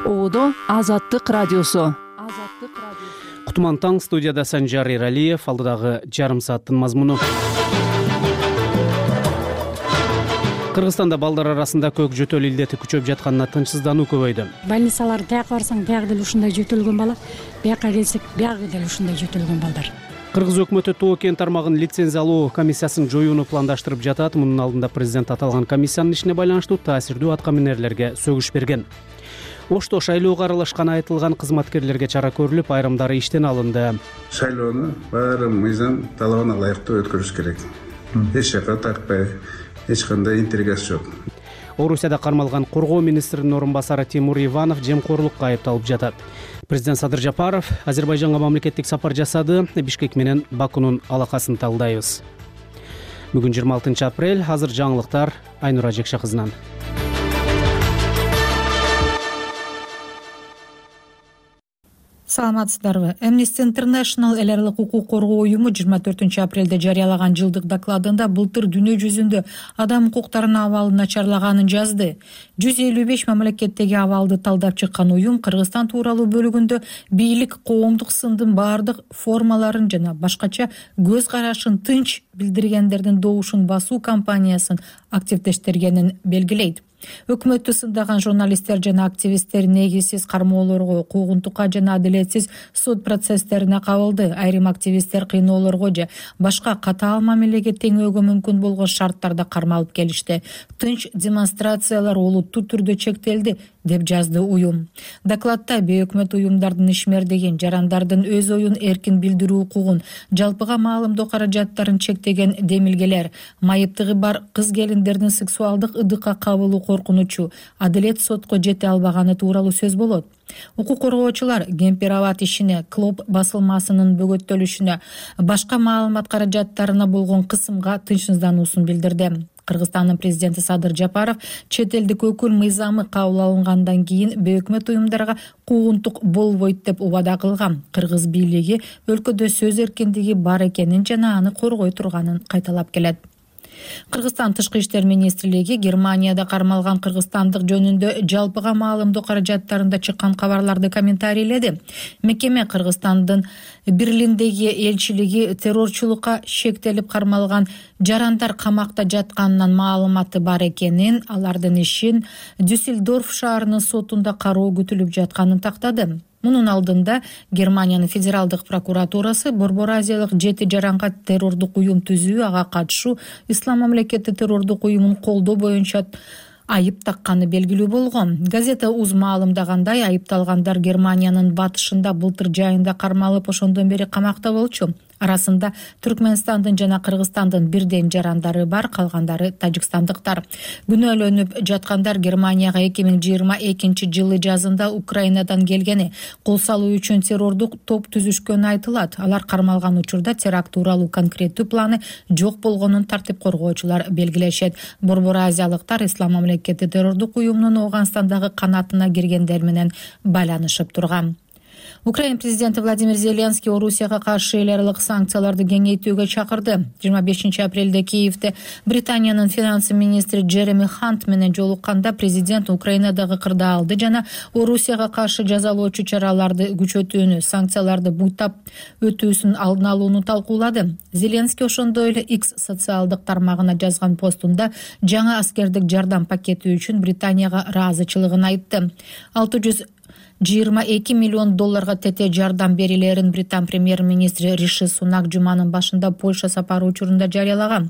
Оодо Азаттык радиосу. Кутман таң, студияда Санжар Иралиев, алдыдагы жарым сааттын мазмуну. Кыргызстанда балдар арасында көк жөтөл илдети күчөп жатканына тынчсыздануу көбөйдү. Больницалар бияка барсаң, бияка деле ушундай жөтөлгөн бала, бияка келсек, бияка деле ушундай жөтөлгөн балдар. Кыргыз өкмөтү Тоо кен тармагын лицензиялоо комиссиясын жоюуну пландаштырып жатат. Мунун алдында президент аталган комиссиянын ишине байланыштуу таасирдүү аткаминерлерге сөгүш берген. Ошто шайлоого аралашканы айтылган кызматкерлерге чара көрүлүп, айрымдары иштен алынды. Шайлоону баары мыйзам талабына ылайыктуу өткөрүш керек. Эч жака тартпай, эч кандай интригасы жок. Орусияда кармалган коргоо министринин орун басары Тимур Иванов жемкорлукка айыпталып жатат. Президент Садыр Жапаров Азербайжанга мамлекеттик сапар жасады. Бишкек менен Бакунун алакасын талдайбыз. Бүгүн 26 апрель. Азыр жаңылыктар Айнура Жекше кызынан. Саламатсыздарбы? Amnesty International эл аралык укук коргоо уюму 24 апрелде жарыялаган жылдык докладында былтыр дүйнө жүзүндө адам укуктарынын абалын начарлаганын жазды. 155 мамлекеттеги абалды талдап чыккан уюм Кыргызстан тууралуу бөлүгүндө бийлик коомдук сындын баардык формаларын жана башкача көз карашын тынч билдиргендердин добушун басуу кампаниясын активдештиргенин белгилейт. Өкмөттү сындаган журналисттер жана активисттер негизсиз кармоолорго, куугунтукка жана адилетсиз сот процесстерине кабылды. Айрым активисттер кыйноолорго же башка катаал мамилеге теңөөгө мүмкүн болгон шарттарда кармалып келишти. Тынч демонстрациялар олуттуу түрдө чектелди, деп жазды уюм. Докладта бейөкмөт уюмдардын ишмердигин, жарандардын өз оюн эркин билдирүү укугун, жалпыга маалымдоо каражаттарын чектеген демилгелер, майыптыгы бар кыз келиндердин сексуалдык ыдыкка кабылуу коркунучу, адилет сотко жете албаганы тууралуу сөз болот. Укук коргоочулар Гемпирабад ишине, Клоп басылмасынын бөгөттөлүшүнө, башка маалымат каражаттарына болгон кысымга тынчсыздануусун билдирди. Кыргызстандын президенти Садыр Жапаров чет элдик өкүл мыйзамы кабыл алынгандан кийин бейөкмөт уюмдарга куугунтук болбойт деп убада кылган. Кыргыз бийлиги өлкөдө сөз эркиндиги бар экенин жана аны коргой турганын кайталап келет. Кыргызстан тышкы иштер министрлиги Германияда кармалган кыргызстандык жөнүндө жалпыга маалымдоо каражаттарында чыккан кабарларды комментарийледи. Мекеме Кыргызстандын Берлиндеги элчилиги террорчулукка шектелип кармалган жарандар камакта жатканынан маалыматы бар экенин, алардын ишин Дюссельдорф шаарынын сотунда кароо күтүлүп жатканын тактады. Мунун алдында Германиянын федералдык прокуратурасы Борбор Азиялык 7 жаранга террордук уюм түзүү, ага катышуу, Ислам мамлекети террордук уюмун колдоо боюнча айып такканы белгилүү болгон. Газета УЗ маалымдагандай, айыпталгандар Германиянын батышында былтыр жайында кармалып, ошондон бери камакта болчу. Арасында Түркмөнстандын жана Кыргызстандын бирден жарандары бар, калгандары тажикстандыктар. Күнөөлөнүп жаткандар Германияга 2022 жылы жазында Украинадан келгени, кол салуу үчүн террордук топ түзүшкөнү айтылат. Алар кармалган учурда теракт тууралуу конкреттүү планы жок болгонун тартип коргоочулар белгилешет. Борбор Азиялыктар Ислам мамлекети террордук уюмунун Ооганстандагы канатына киргендер менен байланышып турган. Украина президенти Владимир Зеленский Орусияга каршы эл аралык санкцияларды кеңейтүүгө чакырды. 25 апрелде Киевде Британиянын финансы министри Джереми Хант менен жолукканда президент Украинадагы кырдаалды жана Орусияга каршы жазалоочу чараларды күчөтүүнү, санкцияларды буйтап өтүүсүн алдын алууну талкуулады. Зеленский ошондой эле X социалдык тармагына жазган постунда жаңы аскердик жардам пакети үчүн Британияга ыраазычылыгын айтты. 622 миллион долларга тете жардам берилерин Британ премьер-министри Риши Сунак жуманын башында Польша сапары учурунда жарыялаган.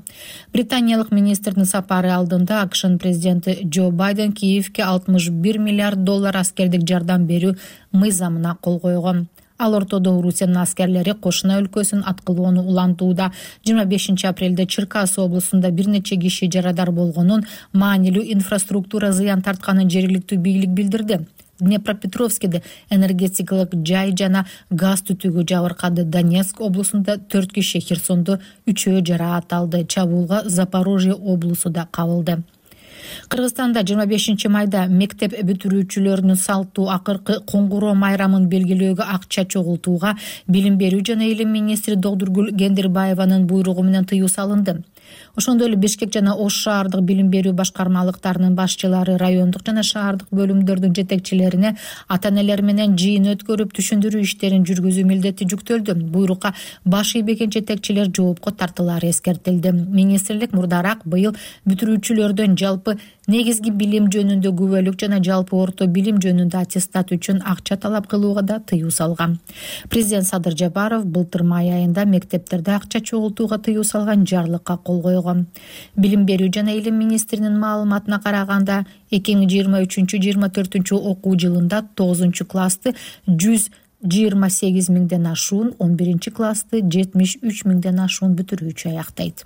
Британиялык министрдин сапары алдында АКШнын президенти Джо Байден Киевке 61 миллиард доллар аскердик жардам берүү мыйзамына кол койгон. Ал ортодо Орусиянын аскерлери кошуна өлкөсүн аткылоону улантууда. 25 апрелде Черкас облусунда бир нече киши жарадар болгонун, маанилүү инфраструктура зыян тартканын жергиликтүү бийлик билдирди. Днепропетровскиде энергетикалык жай жана газ түтүгү жабыркады. Донецк облусунда 4 киши, Херсондо 3 жараат алды. Чабуулга Запорожье облусу да кабылды. Кыргызстанда 25 майда мектеп бүтүрүүчүлөрүнүн салттуу акыркы коңгуроо майрамын белгилөөгө акча чогултууга билим берүү жана илим министри Догдургүл Кендирбаеванын буйругу менен тыюу салынды. Ошондой эле Бишкек жана Ош шаардык билим берүү башкармалыктарынын башчылары райондук жана шаардык бөлүмдөрдүн жетекчилерине ата-энелер менен жыйын өткөрүп түшүндүрүү иштерин жүргүзүү милдети жүктөлдү. Буйрукка баш ийбеген жетекчилер жоопко тартылары эскертилди. Министрлик мурдараак быйыл бүтүрүүчүлөрдөн жалпы негизги билим жөнүндө күбөлүк жана жалпы орто билим жөнүндө аттестат үчүн акча талап кылууга да тыюу салган. Президент Садыр Жапаров былтыр май айында мектептерде акча чогултууга тыюу салган жарлыкка кол койгон. Билим берүү жана илим министринин маалыматына караганда 2023-24 окуу жылында 9-классты 128 миңден ашуун, 11-классты 73 миңден ашуун бүтүрүүчү аяктайт.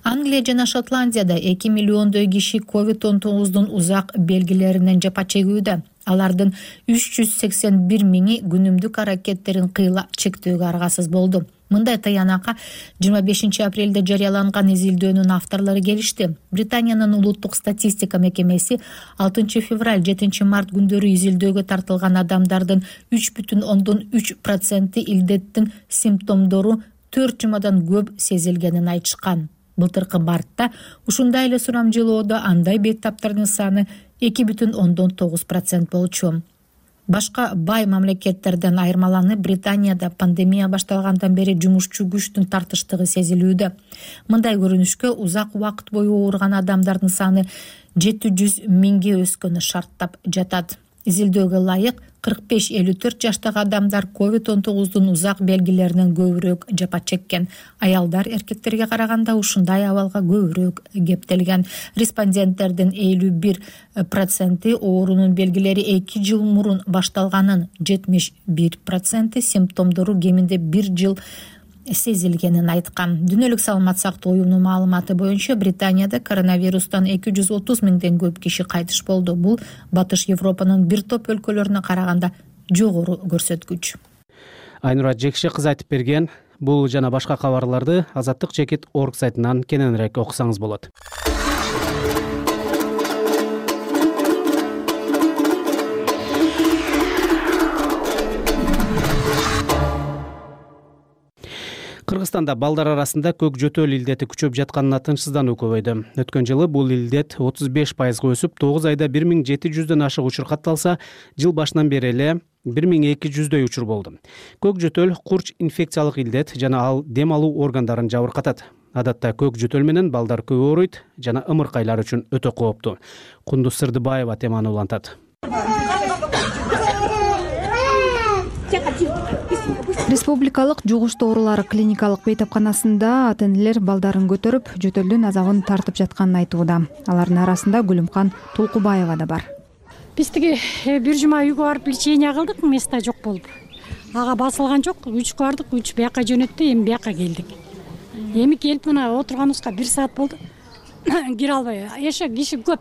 Англия жана Шотландияда 2 миллиондой киши COVID-19 узак белгилеринен жапа чегүүдө. Алардын 381 миңи күнүмдүк аракеттерин кыйла чектөөгө аргасыз болду. Мындай тыянакка 25 апрелде жарыяланган изилдөөнүн авторлору келишти. Британиянын улуттук статистика мекемеси 6 февраль 7 март күндөрү изилдөөгө тартылган адамдардын 3,3% илдеттин симптомдору 4 жумадан көп сезилгенин айтышкан. Былтыркы мартта ушундай эле сурамжылоодо андай беттаптардын саны 2,9% болчу. Башка бай мамлекеттерден айырмаланып, Британияда пандемия башталгандан бери жумушчу күчтүн тартыштыгы сезилүүдө. Мындай көрүнүшкө узак убакыт бою ооруган адамдардын саны 700 миңге өскөнү шарттап жатат. Изилдөөгө ылайык 45-54 жаштагы адамдар COVID-19 узак белгилеринен көбүрөөк жапа чеккен. Аялдар эркектерге караганда ушундай абалга көбүрөөк кептелген. Респонденттердин 51% оорунун белгилери 2 жыл мурун башталганын, 71% симптомдору кеминде 1 жыл сезилгенин айткан. Дүйнөлүк саламат сактоо уюмунун маалыматы боюнча Британияда коронавирустан 230 миңден көп киши кайтыш болду. Бул Батыш Европанын бир топ өлкөлөрүнө караганда жогору көрсөткүч. Айнура Жекше кызы айтып берген бул жана башка кабарларды azatlyk.org сайтынан кененирээк окусаңыз болот. Кыргызстанда балдар арасында көк жөтөл илдети күчөп жатканына тынчсыздануу көбөйдү. Өткөн жылы бул илдет 35%га өсүп, 9 айда 1700дөн ашык учур катталса, жыл башынан бери эле 1200дөй учур болду. Көк жөтөл курч инфекциялык илдет жана ал дем алуу органдарын жабыркатат. Адатта көк жөтөл менен балдар көп ооруйт жана ымыркайлар үчүн өтө кооптуу. Кундуз Сырдыбаева теманы улантат. Республикалык жугуштуу оорулар клиникалык бейтапканасында ата-энелер балдарын көтөрүп, жөтөлдүн азабын тартып жатканын айтууда. Алардын арасында Гүлүмкан Тулкубаева да бар. Биз тиги бир жума үйгө барып лечение кылдык, места жок болуп. Ага басылган жок, 3 бардык, 3 бияка жөнөттү, эми бияка келдик. Эми келип мына отурганыбызга 1 саат болду. Кире албай, эше киши көп.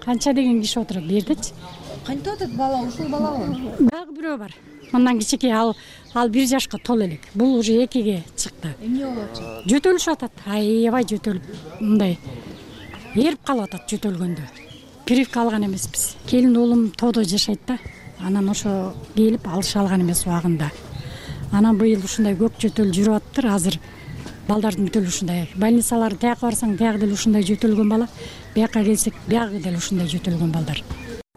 Канча деген киши отурат бу жердечи. Кантип атат бала, ушул балабы? Дагы бирөө бар. Мындан кичике ал 1 жашка тол элек. Бул уже 2ге чыкты. Эмне болуп атат? Жөтөлүшүп атат. Аябай жөтөлүп, мындай эрип калып атат жөтөлгөндө. Прививка алган эмеспиз. Келин уулум тоодо жашайт да. Анан ошо келип алыша алган эмес убагында. Анан быйыл ушундай көк жөтөл жүрүп атыптыр. Азыр балдардын бүтөлү ушундай. Больницалар тияка барсаң, тияк деле ушундай жөтөлгөн бала. Бияка келсек, биягы деле ушундай жөтөлгөн балдар.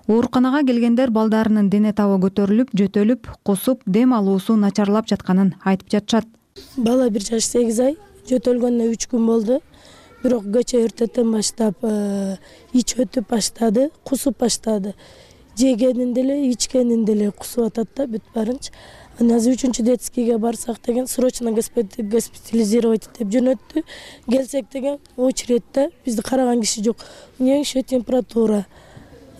Ооруканага келгендер балдарынын дене табы көтөрүлүп, жөтөлүп, кусуп, дем алуусу начарлап жатканын айтып жатышат. Бала 1 жаш 8 ай, жөтөлгөнүнө 3 күн болду. Бирок кече эртеден баштап ич өтүп баштады, кусуп баштады. Жегенин деле, ичкенин деле кусуп атат да, бүт баарынчы. Азыр 3-чү детскийге барсак деген срочно госпитализировать деп жөнөттү. Келсек деген очередьте бизди караган киши жок. Неңше температура.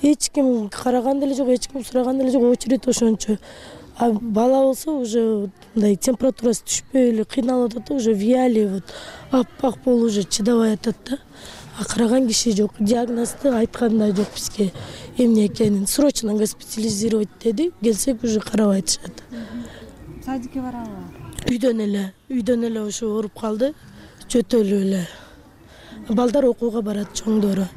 Эч ким караган деле жок, эч ким сураган деле жок, очередь ошончо. А бала болсо уже мындай температурасы түшпөй эле кыйналып атат, уже виали вот аппак болуп уже чыдабай атат да. А караган киши жок, диагнозду айткан да жок бизге эмне экенин. Срочно госпитализировать деди, келсек уже карап айтышат. Садикке барабы? Үйдөн эле ошо ооруп калды, жөтөлүп эле. Балдар окууга барат, чоңдору.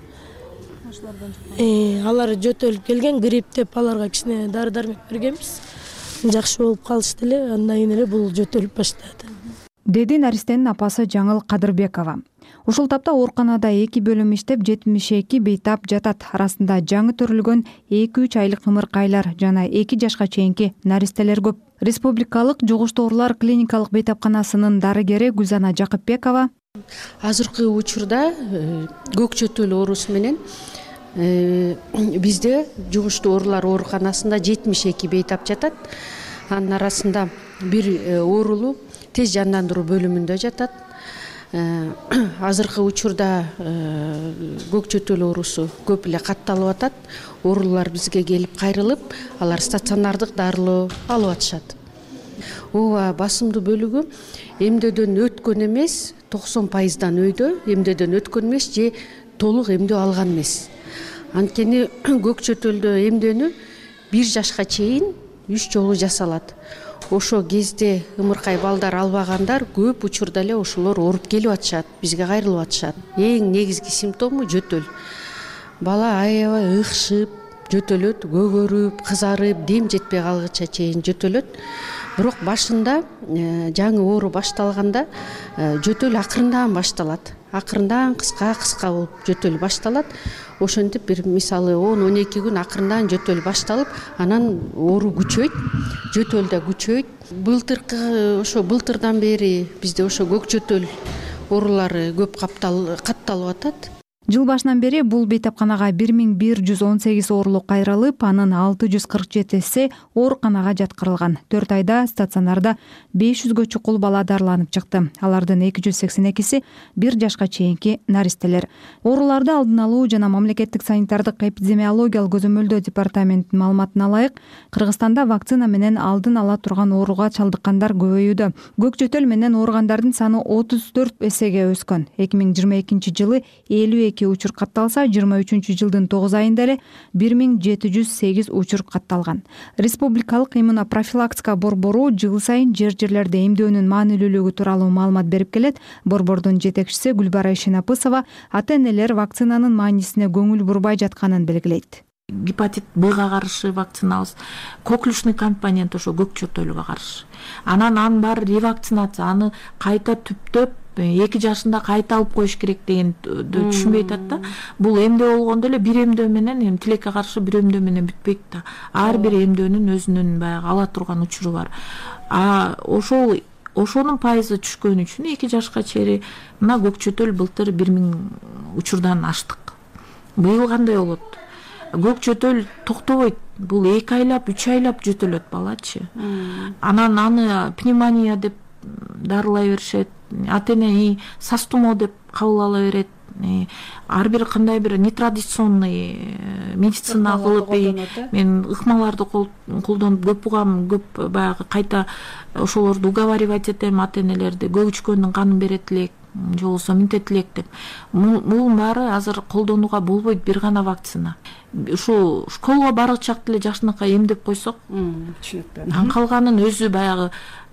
Алар жөтөлүп келген, грипп деп аларга кичине дары-дармек бергенбиз. Жакшы болуп калышты эле, андан кийин эле бул жөтөлүп баштады. деди наристенин апасы Жаңыл Кадырбекова. Ушул тапта ооруканада 2 бөлүм иштеп 72 бейтап жатат. Арасында жаңы төрүлгөн 2-3 айлык ымыркайлар жана 2 жашка чейинки наристелер көп. Республикалык жугуштуу оорулар клиникалык бейтапканасынын дарыгери Гүлзана Жакыпбекова азыркы учурда көк чөтөл оорусу менен бизде жугуштуу оорулар ооруканасында 72 бейтап жатат. Анын арасында бир оорулуу тез жандандыруу бөлүмүндө жатат. Азыркы учурда көк чөтөл оорусу көп эле катталып атат. Оорулар бизге келип кайрылып, алар стационардык дарылоо алып атышат. Ооба, басымдуу бөлүгү эмдөөдөн өткөн эмес, 90% өйдө эмдөөдөн өткөн эмес же толук эмдөө алган эмес. Анткени көк чөтөлдө эмдөөнү 1 жашка чейин 3 жолу жасалат. Ошо кезде ымыркай балдар албагандар көп учурда эле ошолор ооруп келип атышат, бизге кайрылып атышат. Эң негизги симптому жөтөл. Бала аябай ыкшып, жөтөлөт, көгөрүп, кызарып, дем жетпей калгыча чейин жөтөлөт. Бирок башында жаңы оору башталганда жөтөл акырындан башталат. Акырындан кыска болуп жөтөл башталат. Ошентип бир мисалы 10-12 күн акырындан жөтөл башталып, анан оору күчөйт, жөтөл да күчөйт. Былтырдан бери бизде ошо көк чөтөл оорулары көп катталып атат. Жыл башынан бери бул бейтапканага 1118 оорулуу кайрылып, анын 647си ооруканага жаткырылган. 4 айда стационарда 500гө чукул бала дарыланып чыкты. Алардын 282си 1 жашка чейинки наристелер. Ооруларды алдын алуу жана мамлекеттик санитардык эпидемиологиялык көзөмөлдөө департаментинин маалыматына ылайык, Кыргызстанда вакцина менен алдын ала турган ооруга чалдыккандар көбөйүүдө. Көк чөтөл менен ооругандардын саны 34 эсеге өскөн. 2022 жылы 52 учур катталса, 23 жылдын 9 айында эле 1708 учур катталган. Республикалык иммунопрофилактика борбору жыл сайын жерлерде эмдөөнүн маанилүүлүгү тууралуу маалымат берип келет. Борбордун жетекчиси Гүлбара Ишенапысова ата-энелер вакцинанын маанисине көңүл бурбай жатканын белгилейт. Гепатит Б-га каршы вакциналыз, коклюшный компонент ошо көк чөтөлгө каршы. Анын баары ревакцинация, аны кайта түптөп 2 жашында кайта алып коюш керек дегенди түшүнбөй атат да. Бул эмдөө болгондо эле бир эмдөө менен, тилекке каршы бир эмдөө менен бүтпөйт да. Ар бир эмдөөнүн өзүнүн баягы ала турган учуру бар. Ошонун пайызы түшкөн үчүн 2 жашка чейин мына көк чөтөл былтыр 1000 учурдан аштык. Быйыл кандай болот? Көк чөтөл токтобойт. Бул 2 айлап, 3 айлап жөтөлөт балачы. Анан аны пневмония деп дарылай беришет. Ата-эне састумо деп кабыл ала берет. Ар бир кандай бир нетрадиционный медицина кылып, мен ыкмаларды колдонуп көп угам, көп баягы кайта ошолорду уговаривать этем, ата-энелерди көгүчкөндүн канын берет элек, же болбосо минтет элек деп. Мунун баары азыр колдонууга болбойт, бир гана вакцина. Ушу школага баргыч чакта эле жашынакай эмдеп койсок, түшүнүктүү. Анан калганын өзү баягы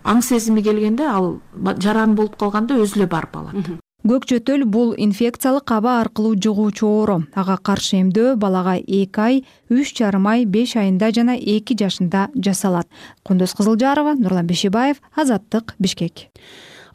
аң сезими келгенде, ал жаран болуп калганда өзү эле барып алат. Көк чөтөл бул инфекциялык аба аркылуу жугуучу оору. Ага каршы эмдөө балага 2 ай, 3,5 ай, 5 айында жана 2 жашында жасалат. Кундуз Кызылжарова, Нурлан Бешибаев, Азаттык, Бишкек.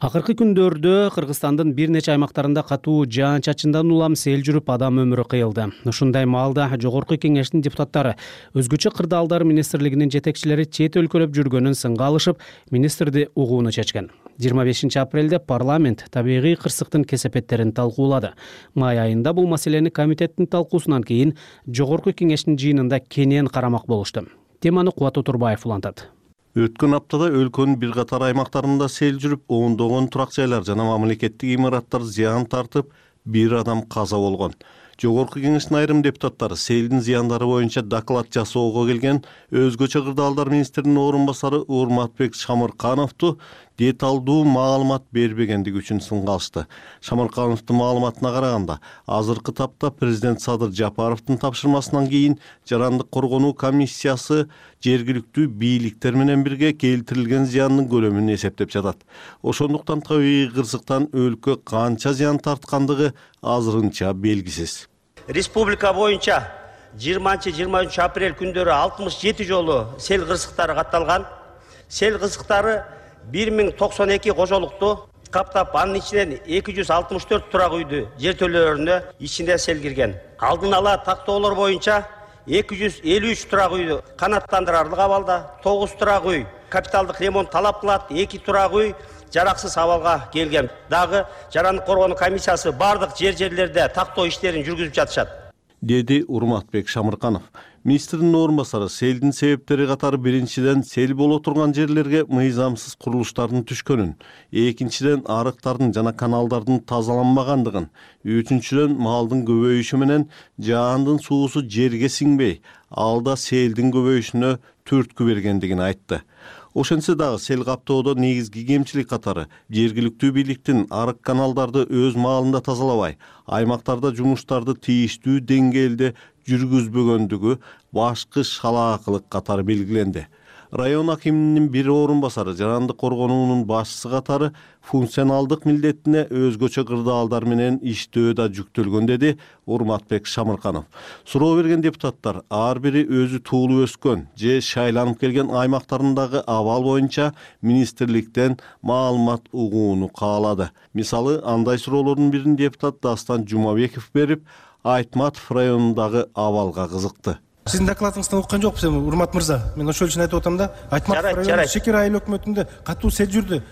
Акыркы күндөрдө Кыргызстандын бир нече аймактарында катуу жаан-чачындан улам сел жүрүп адам өмүрү кыйылды. Ушундай маалда Жогорку Кеңештин депутаттары өзгөчө кырдаалдар министрлигинин жетекчилери чет өлкөлөп жүргөнүн сынга алышып, министрди угууну чечкен. 25 апрелде парламент табигый кырсыктын кесепеттерин талкуулады. Май айында бул маселени комитеттин талкуусунан кийин Жогорку Кеңештин жыйынында кенен карамак болушту. Теманы Кубат Отурбаев улантат. Өткөн аптада өлкөнүн бир катар аймактарында сел жүрүп, ондогон турак жайлар жана мамлекеттик имараттар зыян тартып, 1 адам каза болгон. Жогорку Кеңештин айрым депутаттары селдин зыяндары боюнча доклад жасоого келген өзгөчө кырдаалдар министринин орун басары Урматбек Шамыркановду деталдуу маалымат бербегендиги үчүн сынга алышты. Шамыркановдун маалыматына караганда, азыркы тапта президент Садыр Жапаровдун тапшырмасынан кийин жарандык коргонуу комиссиясы жергиликтүү бийликтер менен бирге келтирилген зыяндын көлөмүн эсептеп жатат. Ошондуктан табигый кырсыктан өлкө канча зыян тарткандыгы азырынча белгисиз. Республика боюнча 20-23 апрель күндөрү 67 жолу сел кырсыктары катталган. Сел кырсыктары 1092 кожолукту каптап, анын ичинен 264 турак үйдү жертөлөлөрүнө ичинде сел кирген. Алдын ала тактоолор боюнча 253 турак үйдү канаттандырарлык абалда, 9 турак үй капиталдык ремонт талап кылат, 2 турак үй жараксыз абалга келген. Дагы жарандык коргонуу комиссиясы бардык жерлерде тактоо иштерин жүргүзүп жатышат, деди Урматбек Шамырканов. Министрдин орун басары селдин себептери катары биринчиден сел боло турган жерлерге мыйзамсыз курулуштардын түшкөнүн, экинчиден арыктардын жана каналдардын тазаланбагандыгын, үчүнчүдөн малдын көбөйүшү менен жаандын суусу жерге сиңбей, алда селдин көбөйүшүнө түрткү бергендигин айтты. Ошентсе дагы сел каптоодо негизги кемчилик катары жергиликтүү бийликтин арык каналдарды өз маалында тазалабай, аймактарда жумуштарды тийиштүү деңгээлде жүргүзбөгөндүгү башкы шалаакылык катары белгиленди. Район акиминин бир орун басары жарандык коргонуунун башчысы катары функционалдык милдетине өзгөчө кырдаалдар менен иштөө да жүктөлгөн, деди Урматбек Шамырканов. Суроо берген депутаттар ар бири өзү туулуп өскөн же шайланып келген аймактарындагы абал боюнча министрликтен маалымат угууну каалады. Мисалы, андай суроолордун бирин депутат Дастан Жумабеков берип, Айтматов районундагы абалга кызыкты. Сиздин докладыңыздан уккан жокпуз эми, Урмат мырза. Мен ошол үчүн айтып атам да, Айтматов району Шекер айыл өкмөтүндө катуу сел жүрдү.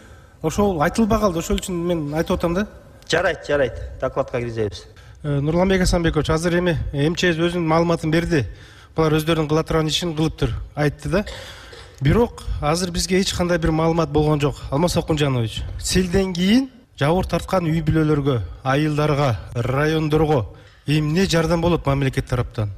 Ошол айтылбай калды, ошол үчүн мен айтып атам да. Жарайт. Докладка киргизебиз. Нурланбек Асанбекович, азыр эми МЧС өзүнүн маалыматын берди. Булар өздөрүнүн кыла турган ишин кылыптыр, айтты да. Бирок азыр бизге эч кандай бир маалымат болгон жок. Алмаз Окунжанович, селден кийин жабыр тарткан үй бүлөлөргө, айылдарга, райондорго эмне жардам болот мамлекет тараптан?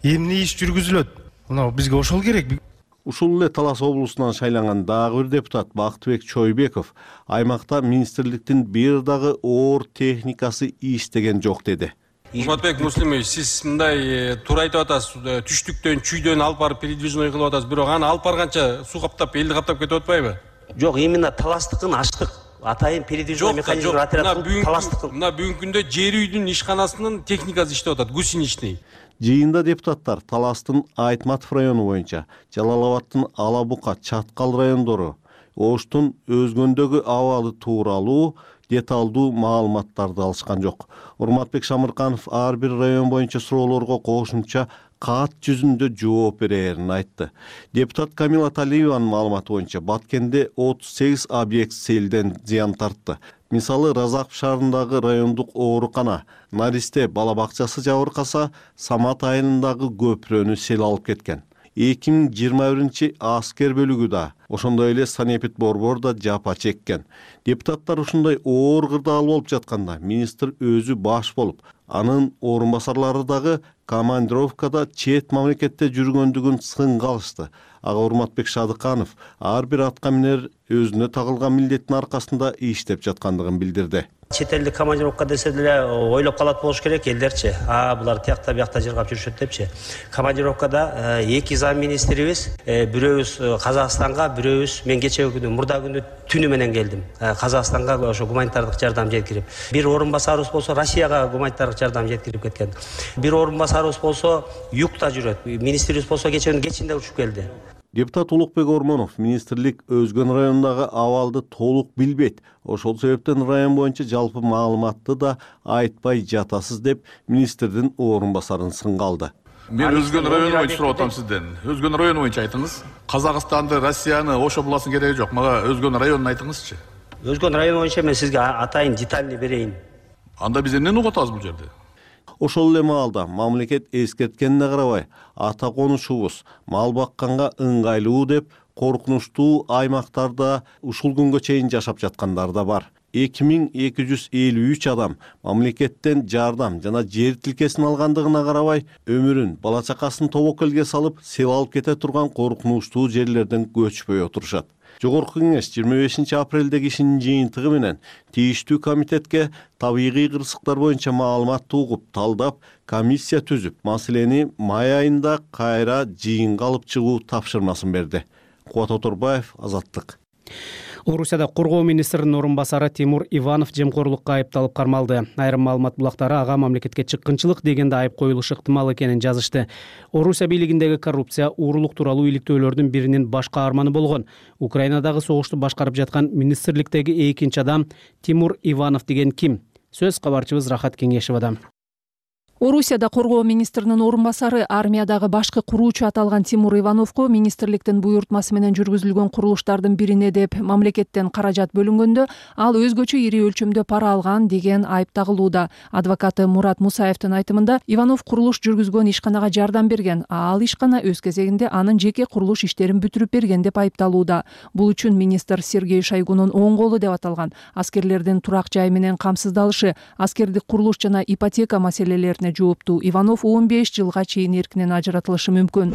Эмне иш жүргүзүлөт? Мына бизге ошол керек. Ушул эле Талас облусунан шайланган дагы бир депутат Бактыбек Чойбеков аймакта министрликтин бир дагы оор техникасы иштеген жок деди. Урматбек Муслимович, сиз мындай туура айтып атасыз, түштүктөн, чүйдөн алып барып передвижной кылып атасыз, бирок аны алып барганча суу каптап, элди каптап кетип атпайбы? Жок, именно Таластыкын ачтык. Атайын передвижной механизм отряд Таластыкын. Мына бүгүнкү күндө жер үйдүн ишканасынын техникасы иштеп атат, гусеничный. Жыйында депутаттар Таластын Айтматов району боюнча, Жалал-Абадтын Алабука, Чаткал райондору, Оштун өзгөндөгү абалы тууралуу деталдуу маалыматтарды алышкан жок. Урматбек Шамырканов ар бир район боюнча суроолорго кошумча кат жүзүндө жооп берерин айтты. Депутат Камила Талиеванын маалыматы боюнча Баткенде 38 объект селден зыян тартты. Мисалы, Разаков шаарындагы райондук оорукана, Наристе бала бакчасы жабыркаса, Самат айылындагы көпүрөнү сел алып кеткен. 2021 аскер бөлүгү да, ошондой эле Санепит Борбор да жапа чеккен. Депутаттар ушундай оор кырдаал болуп жатканда, министр өзү баш болуп, анын орун басарлары дагы командировкада чет мамлекетте жүргөндүгүн сынга алышты. Ага Урматбек Шадыканов ар бир атка минер өзүнө тагылган милдеттин аркасында иштеп жаткандыгын билдирди. Чет элдик командировка десе деле ойлоп калат болуш керек элдерчи. Булар тиякта биякта жыргап жүрүшөт депчи. Командировкада эки зам министрибиз, бирөөбүз Казакстанга, бирөөбүз мен кечеги күнү, мурда күнү түнү менен келдим. Казакстанга ошо гуманитардык жардам жеткирип. Бир орун басарыбыз болсо Россияга гуманитардык жардам жеткирип кеткен. Бир орун басарыбыз болсо югта жүрөт. Министрибиз болсо кеченин кечинде учуп келди. Депутат Улукбек Ормонов министрлик өзгөн райондагы абалды толук билбейт. Ошол себептен район боюнча жалпы маалыматты да айтпай жатасыз деп министрдин орун басарын сынга алды. Мен өзгөн район боюнча сурап атам сизден. Өзгөн район боюнча айтыңыз. Казакстанды, Россияны, ошо буласын кереги жок. Мага өзгөн районун айтыңызчы. Өзгөн район боюнча мен сизге атайын детальный берейин. Анда биз эмнени угуп атабыз бул жерде? Ошол эле маалда мамлекет эскерткенине карабай, ата конушубуз мал бакканга ыңгайлуу деп коркунучтуу аймактарда ушул күнгө чейин жашап жаткандар да бар. 2253 адам мамлекеттен жардам жана жер тилкесин алгандыгына карабай, өмүрүн, бала чакасын тобокелге салып, сел алып кете турган коркунучтуу жерлерден көчпөй отурушат. Жогорку кеңеш 25 апрелдеги ишинин жыйынтыгы менен тийиштүү комитетке табигый кырсыктар боюнча маалыматты угуп, талдап, комиссия түзүп, маселени май айында кайра жыйынга алып чыгуу тапшырмасын берди. Кубат Оторбаев, Азаттык. Орусияда коргоо министринин орун басары Тимур Иванов жемкорлукка айыпталып кармалды. Айрым маалымат булактары ага мамлекетке чыккынчылык дегенде айып коюлушу ыктымал экенин жазышты. Орусия бийлигиндеги коррупция, уурулук тууралуу иликтөөлөрдүн биринин баш каарманы болгон. Украинадагы согушту башкарып жаткан министрликтеги экинчи адам Тимур Иванов деген ким? Сөз кабарчыбыз Рахат Кеңешевадан. Орусияда коргоо министринин орун басары, армиядагы башкы куруучу аталган Тимур Ивановго министрликтин буйртмасы менен жүргүзүлгөн курулуштардын бирине деп мамлекеттен каражат бөлүнгөндө ал өзгөчө ири өлчөмдө пара алган деген айып тагылууда. Адвокаты Мурат Мусаевдин айтымында Иванов курулуш жүргүзгөн ишканага жардам берген, ал ишкана өз кезегинде анын жеке курулуш иштерин бүтүрүп берген деп айыпталууда. Бул үчүн министр Сергей Шойгунун оң колу деп аталган аскерлердин турак жай менен камсыздалышы, аскердик курулуш жана ипотека маселелерине жооптуу Иванов 15 жылга чейин эркинен ажыратылышы мүмкүн.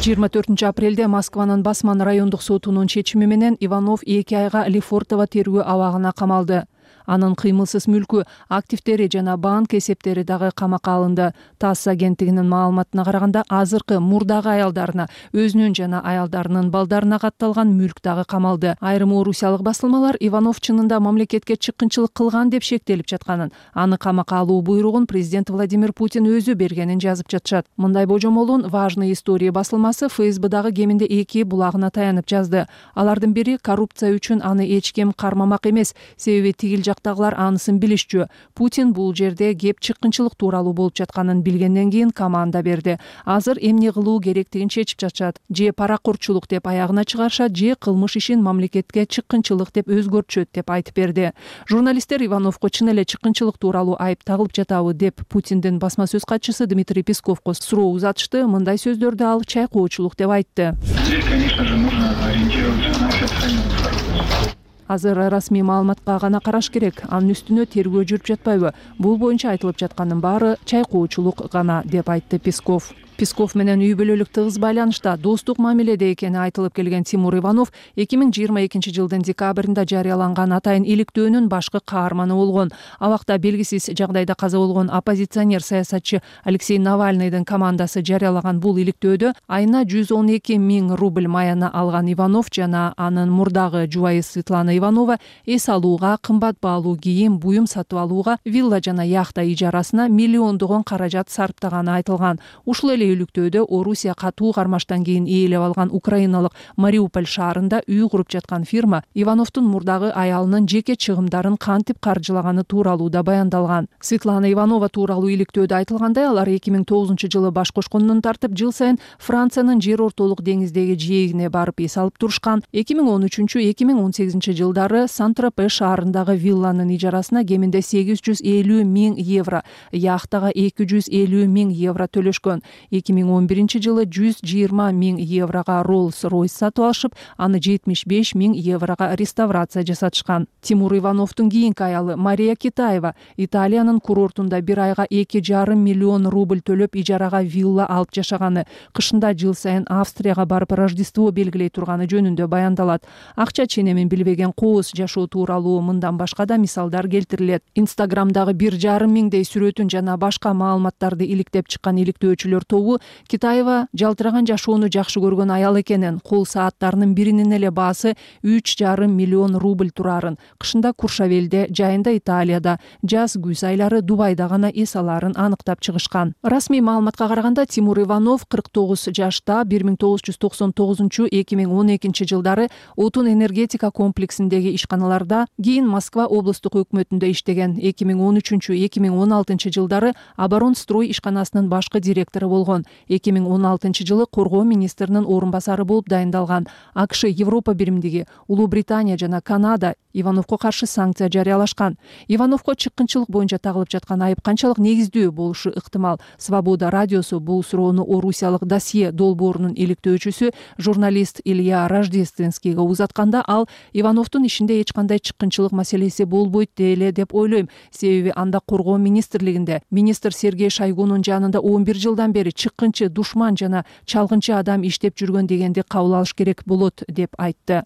24 апрелде Москванын Басман райондук сотунун чечими менен Иванов 2 айга Лефортово тергөө абагына камалды. Анын кыймылсыз мүлкү, активдери жана банк эсептери дагы камакка алынды. ТАСС агенттигинин маалыматына караганда, азыркы мурдагы аялдарына, өзүнүн жана аялдарынын балдарына катталган мүлк дагы камалды. Айрым орусиялык басылмалар Иванов чынында мамлекетке чыккынчылык кылган деп шектелип жатканын, аны камакка алуу буйругун президент Владимир Путин өзү бергенин жазып жатышат. Мындай божомолун Важные истории басылмасы ФСБдагы кеминде 2 булагына таянып жазды. Алардын бири коррупция үчүн аны эч ким кармамак эмес, себеби тигил жактагылар анысын билишчү. Путин бул жерде кеп чыккынчылык тууралуу болуп жатканын билгенден кийин команда берди. Азыр эмне кылуу керектигин чечип жатышат. Же паракурчулук деп аягына чыгарышат, же кылмыш ишин мамлекетке чыккынчылык деп өзгөртүшөт деп айтып берди. Журналисттер Ивановго чын эле чыккынчылык тууралуу айып тагылып жатабы деп Путиндин басма сөз катчысы Дмитрий Песковго суроо узатышты. Мындай сөздөрдү ал чайкоочулук деп айтты. Здесь, конечно же, нужно ориентироваться на официальную информацию. Азыр расмий маалыматка гана караш керек. Анын үстүнө тергөө жүрүп жатпайбы? Бул боюнча айтылып жаткандын баары чайкоочулук гана деп айтты Песков. Песков менен үй бүлөлүк тыгыз байланышта, достук мамиледе экени айтылып келген Тимур Иванов 2022 жылдын декабрында жарыяланган атайын иликтөөнүн башкы каарманы болгон. Абакта белгисиз жагдайда каза болгон оппозиционер саясатчы Алексей Навальныйдын командасы жарыялаган бул иликтөөдө айына 112 000 рубль маяна алган Иванов жана анын мурдагы жубайы Светлана Иванова эс алууга, кымбат баалуу кийим, буюм сатып алууга, вилла жана яхта ижарасына миллиондогон каражат сарптаганы айтылган. Ушул эле иликтөөдө Орусия катуу кармаштан кийин ээлеп алган украиналык Мариуполь шаарында үй куруп жаткан фирма Ивановдун мурдагы аялынын жеке чыгымдарын кантип каржылаганы тууралуу да баяндалган. Светлана Иванова тууралуу иликтөөдө айтылгандай, алар 2009 жылы баш кошкондон тартып жыл сайын Франциянын жер ортолук деңиздеги жээгине барып эс алып турушкан. 2013-2018 жылдары Сан-Тропе шаарындагы вилланын ижарасына кеминде 850 000 евро, яхтага 250 000 евро төлөшкөн. 2011 жылы 120 000 еврога Rolls-Royce сатып алышып, аны 75 000 еврога реставрация жасатышкан. Тимур Ивановдун кийинки аялы Мария Китаева Италиянын курортунда бир айга 2,5 миллион рубль төлөп ижарага вилла алып жашаганы, кышында жыл сайын Австрияга барып Рождество белгилей турганы жөнүндө баяндалат. Акча ченемин билбеген кооз жашоо тууралуу мындан башка да мисалдар келтирилет. Инстаграмдагы 1,5 миңдей сүрөтүн жана башка маалыматтарды иликтеп чыккан иликтөөчүлөр тобу Китаева жалтыраган жашоону жакшы көргөн аял экенин, кол сааттарынын биринин эле баасы 3,5 миллион рубль турарын, кышында Куршавелде, жайында Италияда, жаз күз айлары Дубайда гана эс аларын аныктап чыгышкан. Расмий маалыматка караганда Тимур Иванов 49 жашта 1999-2012 жылдары отун энергетика комплексиндеги ишканаларда, кийин Москва облустук өкмөтүндө иштеген. 2013-2016 жылдары Оборонстрой ишканасынын башкы директору болгон. 2016 жылы коргоо министринин орун басары болуп дайындалган. АКШ, Европа биримдиги, Улуу Британия жана Канада Ивановго каршы санкция жарыялашкан. Ивановго чыккынчылык боюнча тагылып жаткан айып канчалык негиздүү болушу ыктымал? Свобода радиосу бул суроону Орусиялык досье долбоорунун иликтөөчүсү журналист Илья Рождественскийге узатканда, ал Ивановдун Рысуровдун ишинде эч кандай чыккынчылык маселеси болбойт эле деп ойлойм. Себеби анда коргоо министрлигинде министр Сергей Шойгунун жанында 11 жылдан бери чыккынчы, душман жана чалгынчы адам иштеп жүргөн дегенди кабыл алыш керек болот деп айтты.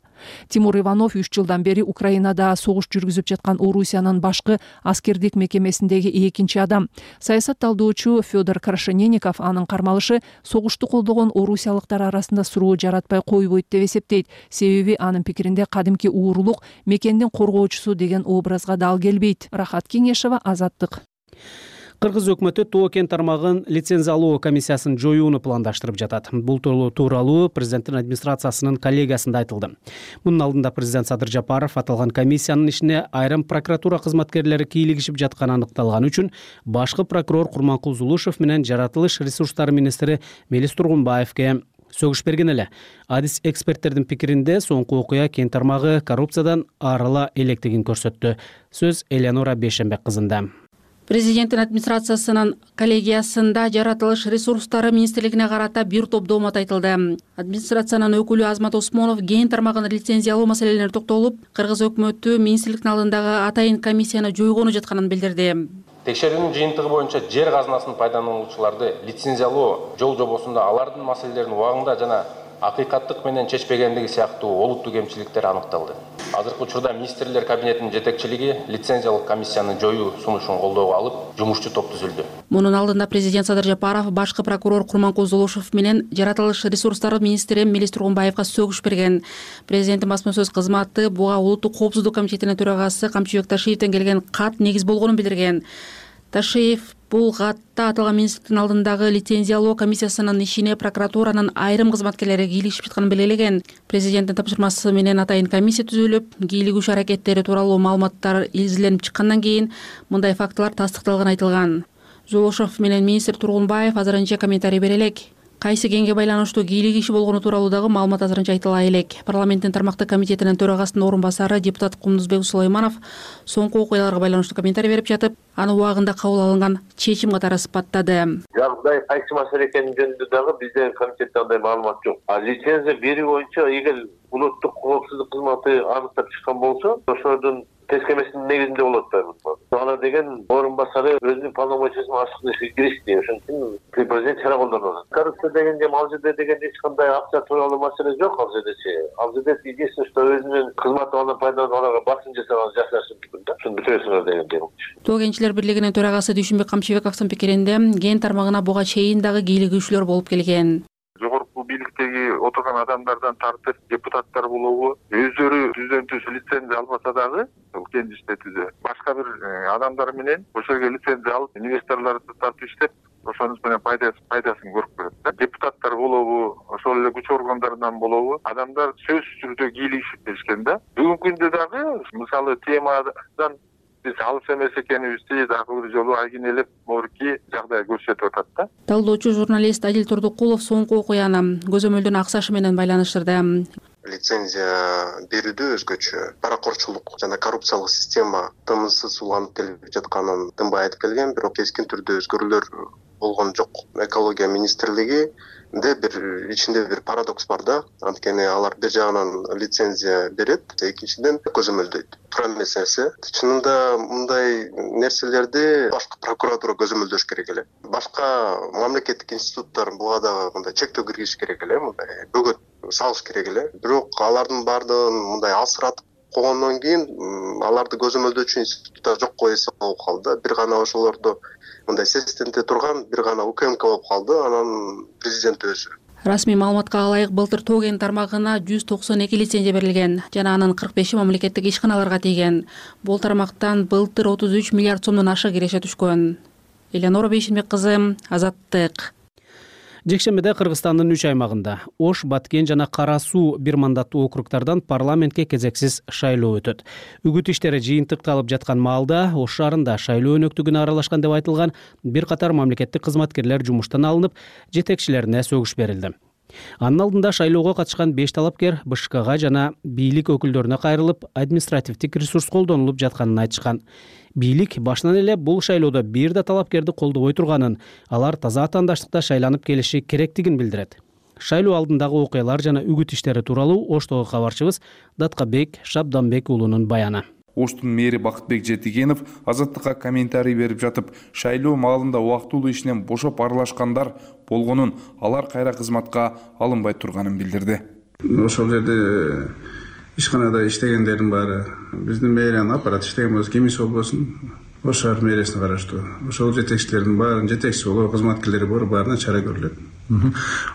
Тимур Иванов 3 жылдан бери Украинада согуш жүргүзүп жаткан Орусиянын башкы аскердик мекемесиндеги экинчи адам. Саясат талдоочу Федор Крашенинников анын кармалышы согушту колдогон орусиялыктар арасында суроо жаратпай койбойт деп эсептейт. Себеби анын пикиринде кадимки уурулук мекендин коргоочусу деген образга дал келбейт. Рахат Кеңешева, Азаттык. Кыргыз өкмөтү Тоо кен тармагын лицензиялоо комиссиясын жоюуну пландаштырып жатат. Бул тууралуу президенттин администрациясынын коллегиясында айтылды. Мунун алдында президент Садыр Жапаров аталган комиссиянын ишине айрым прокуратура кызматкерлери кийлигишип жатканы аныкталган үчүн башкы прокурор Курманкул Зулушев менен жаратылыш ресурстары министри Мелис Тургунбаевге сөгүш берген эле. Адис эксперттердин пикиринде соңку окуя кен тармагы коррупциядан арыла электигин көрсөттү. Сөз Элеонора Бейшенбек кызында. Президенттин администрациясынын коллегиясында жаратылыш ресурстары министрлигине карата бир топ доомат айтылды. Администрациянын өкүлү Азмат Осмонов кен тармагын лицензиялоо маселелерине токтолуп, Кыргыз өкмөтү министрликтин алдындагы атайын комиссияны жойгону жатканын билдирди. Текшерүүнүн жыйынтыгы боюнча жер казынасын пайдалануучуларды лицензиялоо жол жобосунда алардын маселелерин убагында жана акыйкаттык менен чечпегендиги сыяктуу олуттуу кемчиликтер аныкталды. Азыркы учурда министрлер кабинетинин жетекчилиги лицензиялык комиссияны жоюу сунушун колдоого алып, жумушчу топ түзүлдү. Мунун алдында президент Садыр Жапаров башкы прокурор Курманкул Зулушев менен жаратылыш ресурстары министри Мелис Тургунбаевга сөгүш берген. Президенттин басма сөз кызматы буга улуттук коопсуздук комитетинин төрагасы Камчыбек Ташиевден келген кат негиз болгонун билдирген. Ташиев бул катта аталган министрликтин алдындагы лицензиялоо комиссиясынын ишине прокуратуранын айрым кызматкерлери кийлигишип жатканын белгилеген. Президенттин тапшырмасы менен атайын комиссия түзүлүп, кийлигүү аракеттери тууралуу маалыматтар изиленип чыккандан кийин мындай фактылар тастыкталганы айтылган. Зулушев менен министр Тургунбаев азырынча комментарий бере элек. Кайсы кенге байланыштуу кийлик иши болгону тууралуу дагы маалымат азырынча айтыла элек. Парламенттин тармактык комитетинин төрагасынын орун басары депутат Кумдузбек Сулайманов соңку окуяларга байланыштуу комментарий берип жатып, аны убагында кабыл алынган чечим катары сыпаттады. Жагдай кайсы маселе экени жөнүндө дагы биздин комитетте андай маалымат жок. Лицензия берүү боюнча эгер улуттук коопсуздук кызматы аныктап чыккан болсо, ошонун тескемесинин негизинде болот да. Ана деген орун басары өзүнүн полномочиясын ашык ишке киришти. Ошон үчүн президент чара колдонот. Коррупция дегенде ал жерде дегенде эч кандай акча тууралуу маселе жок ал жердечи. Ал жерде единственное, что өзүнүн кызматынан пайдаланып аларга басым жасаган жашашы мүмкүн да. Ошону бүтөсүңөр дегенде. Тоо кенчилер бирлигинин төрагасы Дүйшүнбек Камчыбековдун пикиринде кен тармагына буга чейин дагы кийлигүүчүлөр болуп келген. Жогорку бийликтеги отурган адамдардан тартып депутаттар болобу өздөрү түздөн түз лицензия албаса дагы кен иштетүүдө башка бир адамдар менен ошол жерге лицензия алып инвесторлорду тартып иштеп ошонун менен пайдасын көрүп берет да. Депутаттар болобу ошол эле күч органдарынан болобу адамдар сөзсүз түрдө кийлигишип беришкен да. Бүгүнкү күндө дагы мисалы темадан биз алыс эмес экенибизди дагы бир жолу айгинелеп морки жагдай көрсөтүп атат да. Талдоочу журналист Адил Турдукулов соңку окуяны көзөмөлдөн аксашы менен байланыштырды. Лицензия берүүдө өзгөчө паракорчулук жана коррупциялык система тынымсыз уланып келип жатканын тынбай айтып келген, бирок кескин түрдө өзгөрүүлөр болгон жок. Экология министрлиги бир ичинде бир парадокс бар да. Анткени алар бир жагынан лицензия берет, экинчиден көзөмөлдөйт. Тура эмеси. Чынында мындай нерселерди башкы прокуратура көзөмөлдөш керек эле. Башка мамлекеттик институттар буга дагы мындай чектөө киргизиш керек эле, мындай бөгөт салыш керек эле. Бирок алардын баардыгын мындай алсыратып койгондон кийин аларды көзөмөлдөөчү институттар жокко эсе болуп калды. Бир гана ошолордо мындай сестенте турган бир гана УКМК болуп калды, анан президент өзү. Расмий маалыматка ылайык былтыр Тоо кен тармагына 192 лицензия берилген жана анын 45 мамлекеттик ишканаларга тийген. Бул тармактан былтыр 33 миллиард сомдон ашык киреше түшкөн. Элеонора Бейшенбек кызы, Азаттык. Жекшембиде Кыргызстандын 3 аймагында Ош, Баткен жана Кара Суу бир мандаттуу округдардан парламентке кезексиз шайлоо өтөт. Үгүт иштери жыйынтыкталып жаткан маалда Ош шаарында шайлоо өнөктүгүнө аралашкан деп айтылган бир катар мамлекеттик кызматкерлер жумуштан алынып, жетекчилерине сөгүш берилди. Анын алдында шайлоого катышкан 5 талапкер БШКга жана бийлик өкүлдөрүнө кайрылып, административдик ресурс колдонулуп жатканын айтышкан. Бийлик башынан эле бул шайлоодо бир да талапкерди колдобой турганын, алар таза атаандаштыкта шайланып келиши керектигин билдирет. Шайлоо алдындагы окуялар жана үгүт иштери тууралуу Оштогу кабарчыбыз Даткабек Шабданбек уулунун баяны. Оштун мэри Бакытбек Жетигенов Азаттыкка комментарий берип жатып, шайлоо маалында убактылуу ишинен бошоп аралашкандар болгонун, алар кайра кызматка алынбай турганын билдирди. Ошол жерде ишканада иштегендердин баары биздин мэриянын аппараты иштеген болсо, кимиси болбосун, Ош шаар мэриясына караштуу. Ошол жетекчилердин баарын жетекчи болуп, кызматкерлери бар, баарына чара көрүлөт.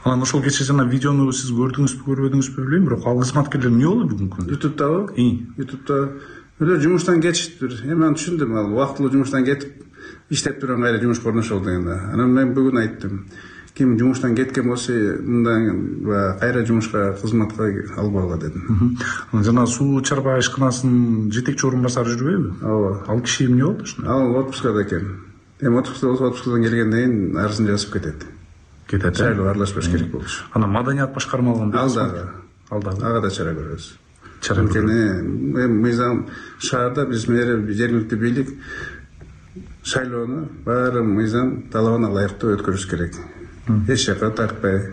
Анан ошол кечээ жана видеону сиз көрдүңүзбү, көрбөдүңүзбү билбейм, бирок ал кызматкерлер эмне болду бүгүнкү күндө? Ютубтабы? Ютубта жумуштан кетиштир. Эми аны түшүндүм, ал убактылуу жумуштан кетип иштеп турган кайра жумушка орношолду дегенде. Анан мен бүгүн айттым. Ким жумуштан кеткен болсо, мындан кайра жумушка, кызматка албагыла дедим. Жана суу чарба ишканасынын жетекчи орун басары жүрбөйбү? Ооба. Ал киши эмне болду? Ал отпускада экен. Эми отпускадан келгенден кийин арызын жазып кетет. Шайлоого аралашпаш керек болчу. Анан маданият башкармалыгын ал дагы ага да чара көрөбүз. Эми мыйзам шаарда биз жергиликтүү бийлик шайлоону баары мыйзам талабына ылайыктуу өткөрүш керек. Эч жака тартпай,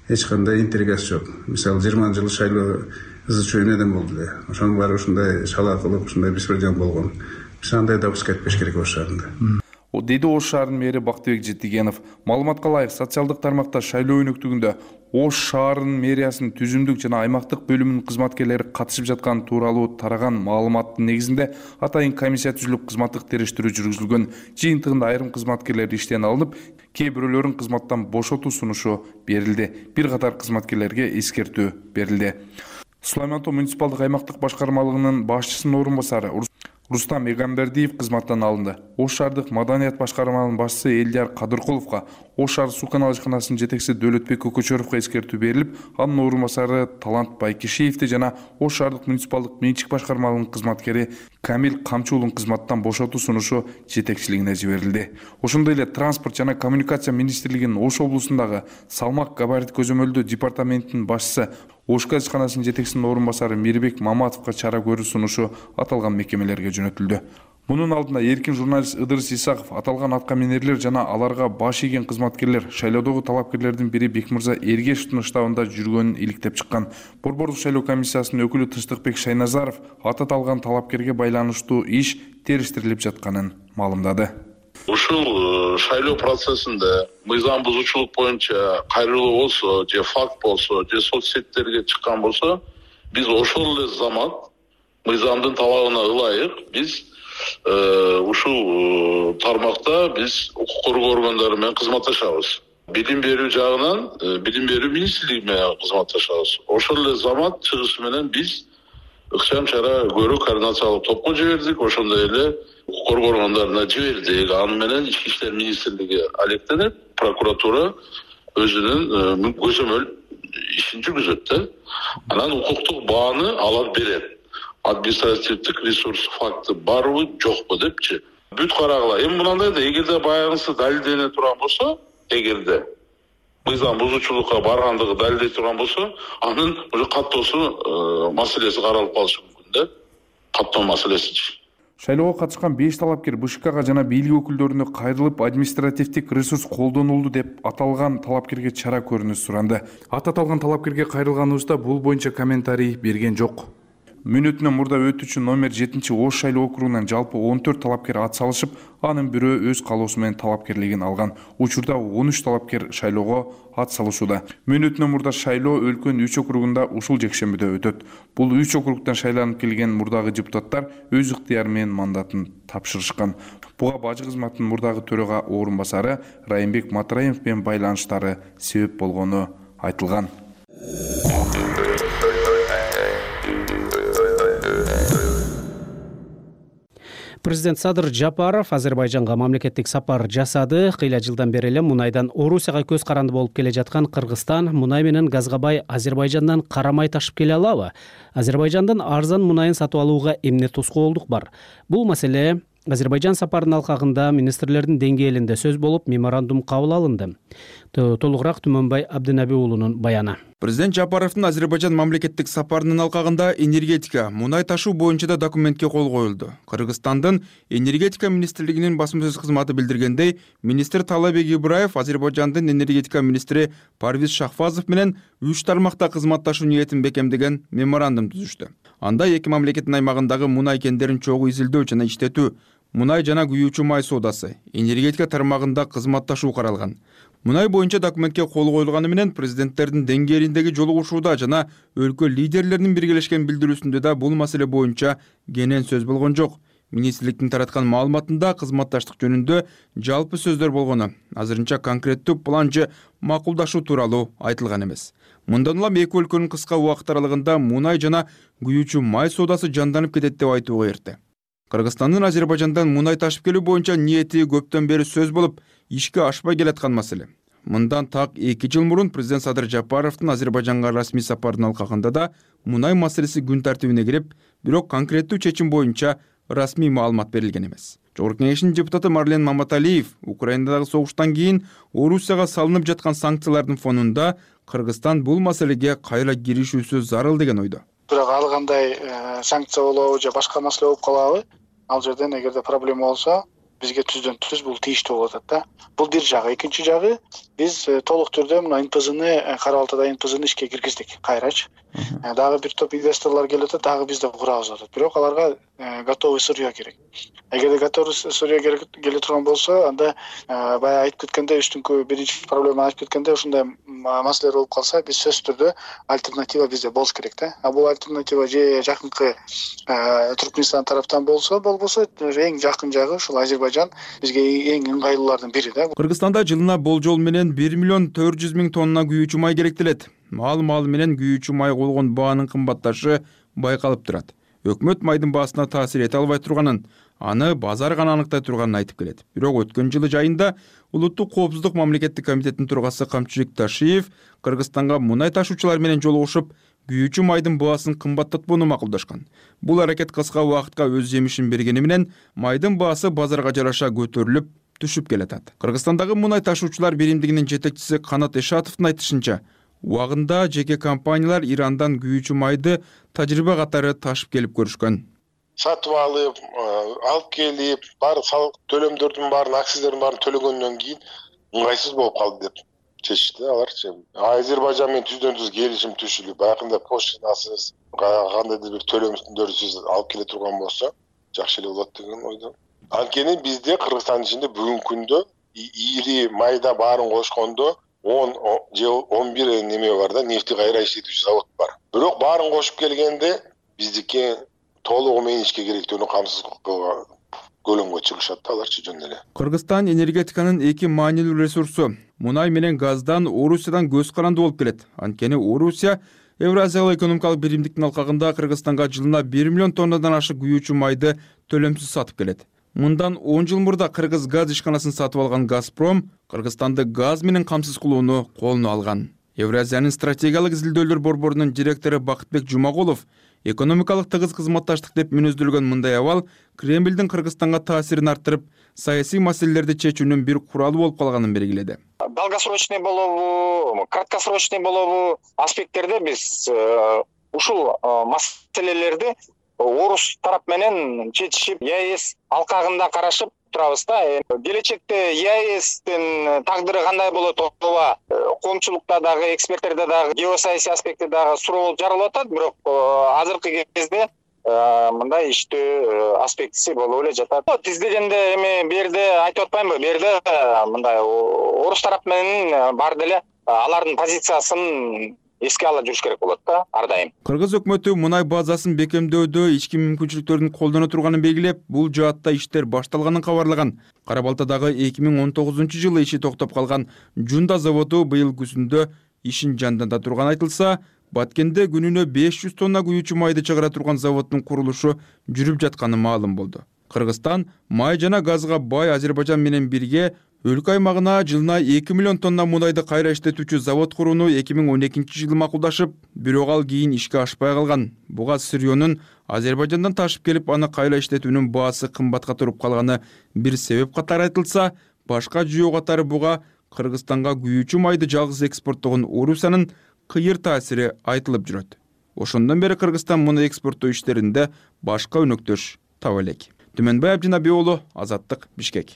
эч кандай интригасы жок. Мисалы 20 жылы шайлоо ызы-чуу эмнеден болду эле. Ошонун баары ушундай шала кылып, ушундай беспредел болгон. Биз андай допуск этпеш керек Ош шаарында. Деди Ош шаарынын мэри Бактыбек Жетигенов. Маалыматка ылайык, социалдык тармакта шайлоо өнөктүгүндө Ош шаарынын мэриясынын түзүмдүк жана аймактык бөлүмүнүн кызматкерлери катышып жатканы тууралуу тараган маалыматтын негизинде атайын комиссия түзүлүп, кызматтык териштирүү жүргүзүлгөн. Жыйынтыгында айрым кызматкерлер иштен алынып, кээ бирөөлөрүн кызматтан бошотуу сунушу берилди. Бир катар кызматкерлерге эскертүү берилди. Сулайман Ато муниципалдык аймактык башкармалыгынын башчысынын орун басары Рустам Эгамбердиев кызматтан алынды. Ош шаардык маданият башкармалыгынын башчысы Элдияр Кадыркуловго, Ош шаар суу канал ишканасынын жетекчиси Дөөлөтбек Көкөчөровго эскертүү берилип, анын орун басары Талант Байкишиевди жана Ош шаардык муниципалдык менчик башкармалыгынын кызматкери Камил Камчуулун кызматтан бошотуу сунушу жетекчилигине жиберилди. Ошондой эле транспорт жана коммуникация министрлигинин Ош облусундагы салмак габарит көзөмөлдөө департаментинин башчысы Ош газ ишканасынын жетекчисинин орун басары Мирбек Маматовго чара көрүү сунушу аталган мекемелерге жөнөтүлдү. Мунун алдында эркин журналист Ыдырыс Исаков аталган атка минерлер жана аларга баш ийген кызматкерлер шайлоодогу талапкерлердин бири Бекмырза Эргешевдин штабында жүргөнүн иликтеп чыккан. Борбордук шайлоо комиссиясынын өкүлү Тынчтыкбек Шайназаров аталган талапкерге байланыштуу иш териштирилип жатканын маалымдады. Ушул шайлоо процессинде мыйзам бузуучулук боюнча кайрылуу болсо, же факт болсо, же соц сеттерге чыккан болсо, биз ошол эле замат мыйзамдын талабына ылайык биз ушул тармакта биз укук коргоо органдары менен кызматташабыз. Билим берүү жагынан билим берүү министрлиги менен кызматташабыз. Ошол эле замат чыгышы менен биз ыкчам чара көрүү координациялык топко жибердик, ошондой эле укук коргоо органдарына жибердик. Аны менен Ички иштер министрлиги алектенип, прокуратура өзүнүн көзөмөл ишин жүргүзөт да. Анан укуктук бааны алар берет. Административдик ресурс факты барбы, жокпу депчи. Бүт карагыла. Эми мынандай да, эгерде баягысы далилдене турган болсо, эгерде мыйзам бузуучулукка баргандыгы далилдей турган болсо, анын уже каттоосу маселеси каралып калышы мүмкүн да. Каттоо маселесичи. Шайлоого катышкан 5 талапкер БШКга жана бийлик өкүлдөрүнө кайрылып, административдик ресурс колдонулду деп аталган талапкерге чара көрүүнү суранды. Аталган талапкерге кайрылганыбызда бул боюнча комментарий берген жок. Мүнөтүнөн мурда өтүүчү номер 7 Ош шайлоо округунан жалпы 14 талапкер ат салышып, анын бирөө өз калоосу менен талапкерлигин алган. Учурда 13 талапкер шайлоого ат салышууда. Мүнөтүнөн мурда шайлоо өлкөнүн 3 округунда ушул жекшембиде өтөт. Бул 3 округтан шайланып келген мурдагы депутаттар өз ыктыяры менен мандатын тапшырышкан. Буга бажы кызматынын мурдагы төрага орун басары Райымбек Матраимов менен байланыштары себеп болгону айтылган. Президент Садыр Жапаров Азербайжанга мамлекеттик сапар жасады. Кыйла жылдан бери эле мунайдан Орусияга көз каранды болуп келе жаткан Кыргызстан мунай менен газга бай Азербайжандан карамай ташып келе алабы? Азербайжандан арзан мунайын сатып алууга эмне тоскоолдук бар? Бул маселе Азербайжан сапарынын алкагында министрлердин деңгээлинде сөз болуп, меморандум кабыл алынды. Толугураак Түмөнбай Абдынаби уулунун баяны. Президент Жапаровдун Азербайжан мамлекеттик сапарынын алкагында энергетика, мунай ташуу боюнча да документке кол коюлду. Кыргызстандын энергетика министрлигинин басма сөз кызматы билдиргендей, министр Талабек Ибраев Азербайжандын энергетика министри Парвиз Шахфазов менен 3 тармакта кызматташуу ниетин бекемдеген меморандум түзүштү. Анда эки мамлекеттин аймагындагы мунай кендерин чогуу изилдөө жана иштетүү, мунай жана күйүүчү май соодасы, энергетика тармагында кызматташуу каралган. Мунай боюнча документке кол коюлганы менен президенттердин деңгээлиндеги жолугушууда жана өлкө лидерлеринин биргелешкен билдирүүсүндө да бул маселе боюнча кенен сөз болгон жок. Министрликтин тараткан маалыматында кызматташтык жөнүндө жалпы сөздөр болгону, азырынча конкреттүү план же макулдашуу тууралуу айтылган эмес. Мындан улам эки өлкөнүн кыска убакыт аралыгында мунай жана күйүүчү май соодасы жанданып кетет деп айтууга эрте. Кыргызстандын Азербайжандан мунай ташып келүү боюнча ниети көптөн бери сөз болуп, ишке ашпай келаткан маселе. Мындан так 2 жыл мурун президент Садыр Жапаровдун Азербайжанга расмий сапарынын алкагында да мунай маселеси күн тартибине кирип, бирок конкреттүү чечим боюнча расмий маалымат берилген эмес. Жогорку кеңештин депутаты Марлен Маматалиев Украинадагы согуштан кийин Орусияга салынып жаткан санкциялардын фонунда Кыргызстан бул маселеге кайра киришүүсү зарыл деген ойдо. Бирок ал кандай санкция болобу же башка маселе болуп калабы? Ал жерден эгерде проблема болсо, бизге түздөн түз бул тийиштүү болуп атат да. Бул бир жагы. Экинчи жагы, биз толук түрдө мына НПЗны, Кара Балтада НПЗны ишке киргиздик кайрачы. Дагы бир топ инвесторлор келип атат, дагы биз да курабыз атат. Бирок аларга готовый сырье керек. Эгерде готовый сырье келе турган болсо, анда баягы айтып кеткенде, үстүңкү биринчи проблема айтып кеткенде, ушундай маселелер болуп калса, биз сөзсүз түрдө альтернатива бизде болуш керек да. А бул альтернатива же жакынкы Түркмөнстан тараптан болсо, болбосо эң жакын жагы ушул Азербайжан бизге эң ыңгайлуулардын бири да. Кыргызстанда жылына болжол менен 1.400.000 тонна күйүүчү май керектелет. Маал менен күйүүчү май болгон баанын кымбатташы байкалып турат. Өкмөт майдын баасына таасир эте албай турганын, аны базар гана аныктай турганын айтып келет. Бирок өткөн жылы жайында Улуттук коопсуздук мамлекеттик комитетинин төрагасы Камчыбек Ташиев Кыргызстанга мунай ташуучулар менен жолугушуп, күйүүчү майдын баасын кымбаттатпоону макулдашкан. Бул аракет кыска убакытка өз жемишин бергени менен майдын баасы базарга жараша көтөрүлүп, түшүп келатат. Кыргызстандагы мунай ташуучулар биримдигинин жетекчиси Канат Эшатовдун айтышынча, убагында жеке компаниялар Ирандан күйүүчү майды тажрыйба катары ташып келип көрүшкөн. Сатып алып келип, баары салык төлөмдөрдүн баарын, акциздердин баарын төлөгөндөн кийин ыңгайсыз болуп калды деп чечишти аларчы. Азербайжан менен түздөн түз келишим түшүлүп, баягындай поштасыз, кандайдыр бир төлөмдөрсүз алып келе турган болсо, жакшы эле болот деген ойдо. Анткени бизде Кыргызстандын ичинде бүгүнкү күндө ири майда баарын кошкондо 10 же 11 неме бар да, нефти кайра иштетүүчү завод бар. Бирок баарын кошуп келгенде биздики толугу менен ишке керектүүнү камсыз кылган көлөмгө чыгышат да аларчы жөн эле. Кыргызстан энергетиканын эки маанилүү ресурсу мунай менен газдан Орусиядан көз каранды болуп келет. Анткени Орусия Евразиялык экономикалык биримдиктин алкагында Кыргызстанга жылына 1 миллион тоннадан ашык күйүүчү майды төлөмсүз сатып келет. Мындан 10 жыл мурда Кыргыз газ ишканасын сатып алган Газпром Кыргызстанды газ менен камсыз кылууну колуна алган. Евразиянын стратегиялык изилдөөлөр борборунун директору Бакытбек Жумагулов экономикалык тыгыз кызматташтык деп мүнөздөлгөн мындай абал Кремлдин Кыргызстанга таасирин арттырып, саясий маселелерди чечүүнүн бир куралы болуп калганын белгиледи. Долгосрочный болобу, краткосрочный болобу аспекттерде биз ушул маселелерди орус тарап менен чечишип, ЕАЭС алкагында карашып турабыз да. Келечекте ЕАЭСтин тагдыры кандай болот, ооба коомчулукта дагы, эксперттерде дагы, геосаясий аспектте дагы суроо болуп жаралып атат, бирок азыркы кезде мындай иштөө аспектиси болуп эле жатат. Тиз дегенде эми бу жерде айтып атпаймынбы, бу жерде мындай орус тарап менен бар деле алардын позициясын эске ала жүрүш керек болот да ар дайым. Кыргыз өкмөтү мунай базасын бекемдөөдө ички мүмкүнчүлүктөрдүн колдоно турганын белгилеп, бул жаатта иштер башталганын кабарлаган. Кара Балтадагы 2019-жылы иши токтоп калган Жунда заводу быйыл күзүндө ишин жанданда турган айтылса, Баткенде күнүнө 500 тонна күйүүчү майды чыгара турган заводдун курулушу жүрүп жатканы маалым болду. Кыргызстан май жана газга бай Азербайжан менен бирге өлкө аймагына жылына 2 миллион тонна мунайды кайра иштетүүчү завод курууну 2012-жылы макулдашып, бирок ал кийин ишке ашпай калган. Буга сырьёнун Азербайжандан ташып келип, аны кайра иштетүүнүн баасы кымбатка туруп калганы бир себеп катары айтылса, башка жүйөө катары буга Кыргызстанга күйүүчү майды жалгыз экспорттогон Орусиянын кыйыр таасири айтылып жүрөт. Ошондон бери Кыргызстан муну экспорттоо иштеринде башка өнөктөш таба элек. Түмөнбай Абдинабий уулу, Азаттык, Бишкек.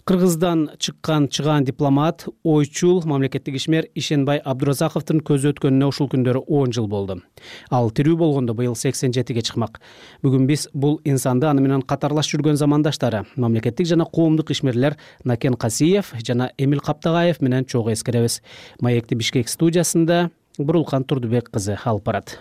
Кыргыздан чыккан чыгаан дипломат, ойчул мамлекеттик ишмер Ишенбай Абдуразаковдун көзү өткөнүнө ушул күндөрү 10 жыл болду. Ал тирүү болгондо быйыл 87-ге чыкмак. Бүгүн биз бул инсанды аны менен катарлаш жүргөн замандаштары, мамлекеттик жана коомдук ишмерлер Накен Касиев жана Эмил Каптагаев менен чогуу эскеребиз. Маекти Бишкек студиясында Бурулкан Турдубек кызы алып барат.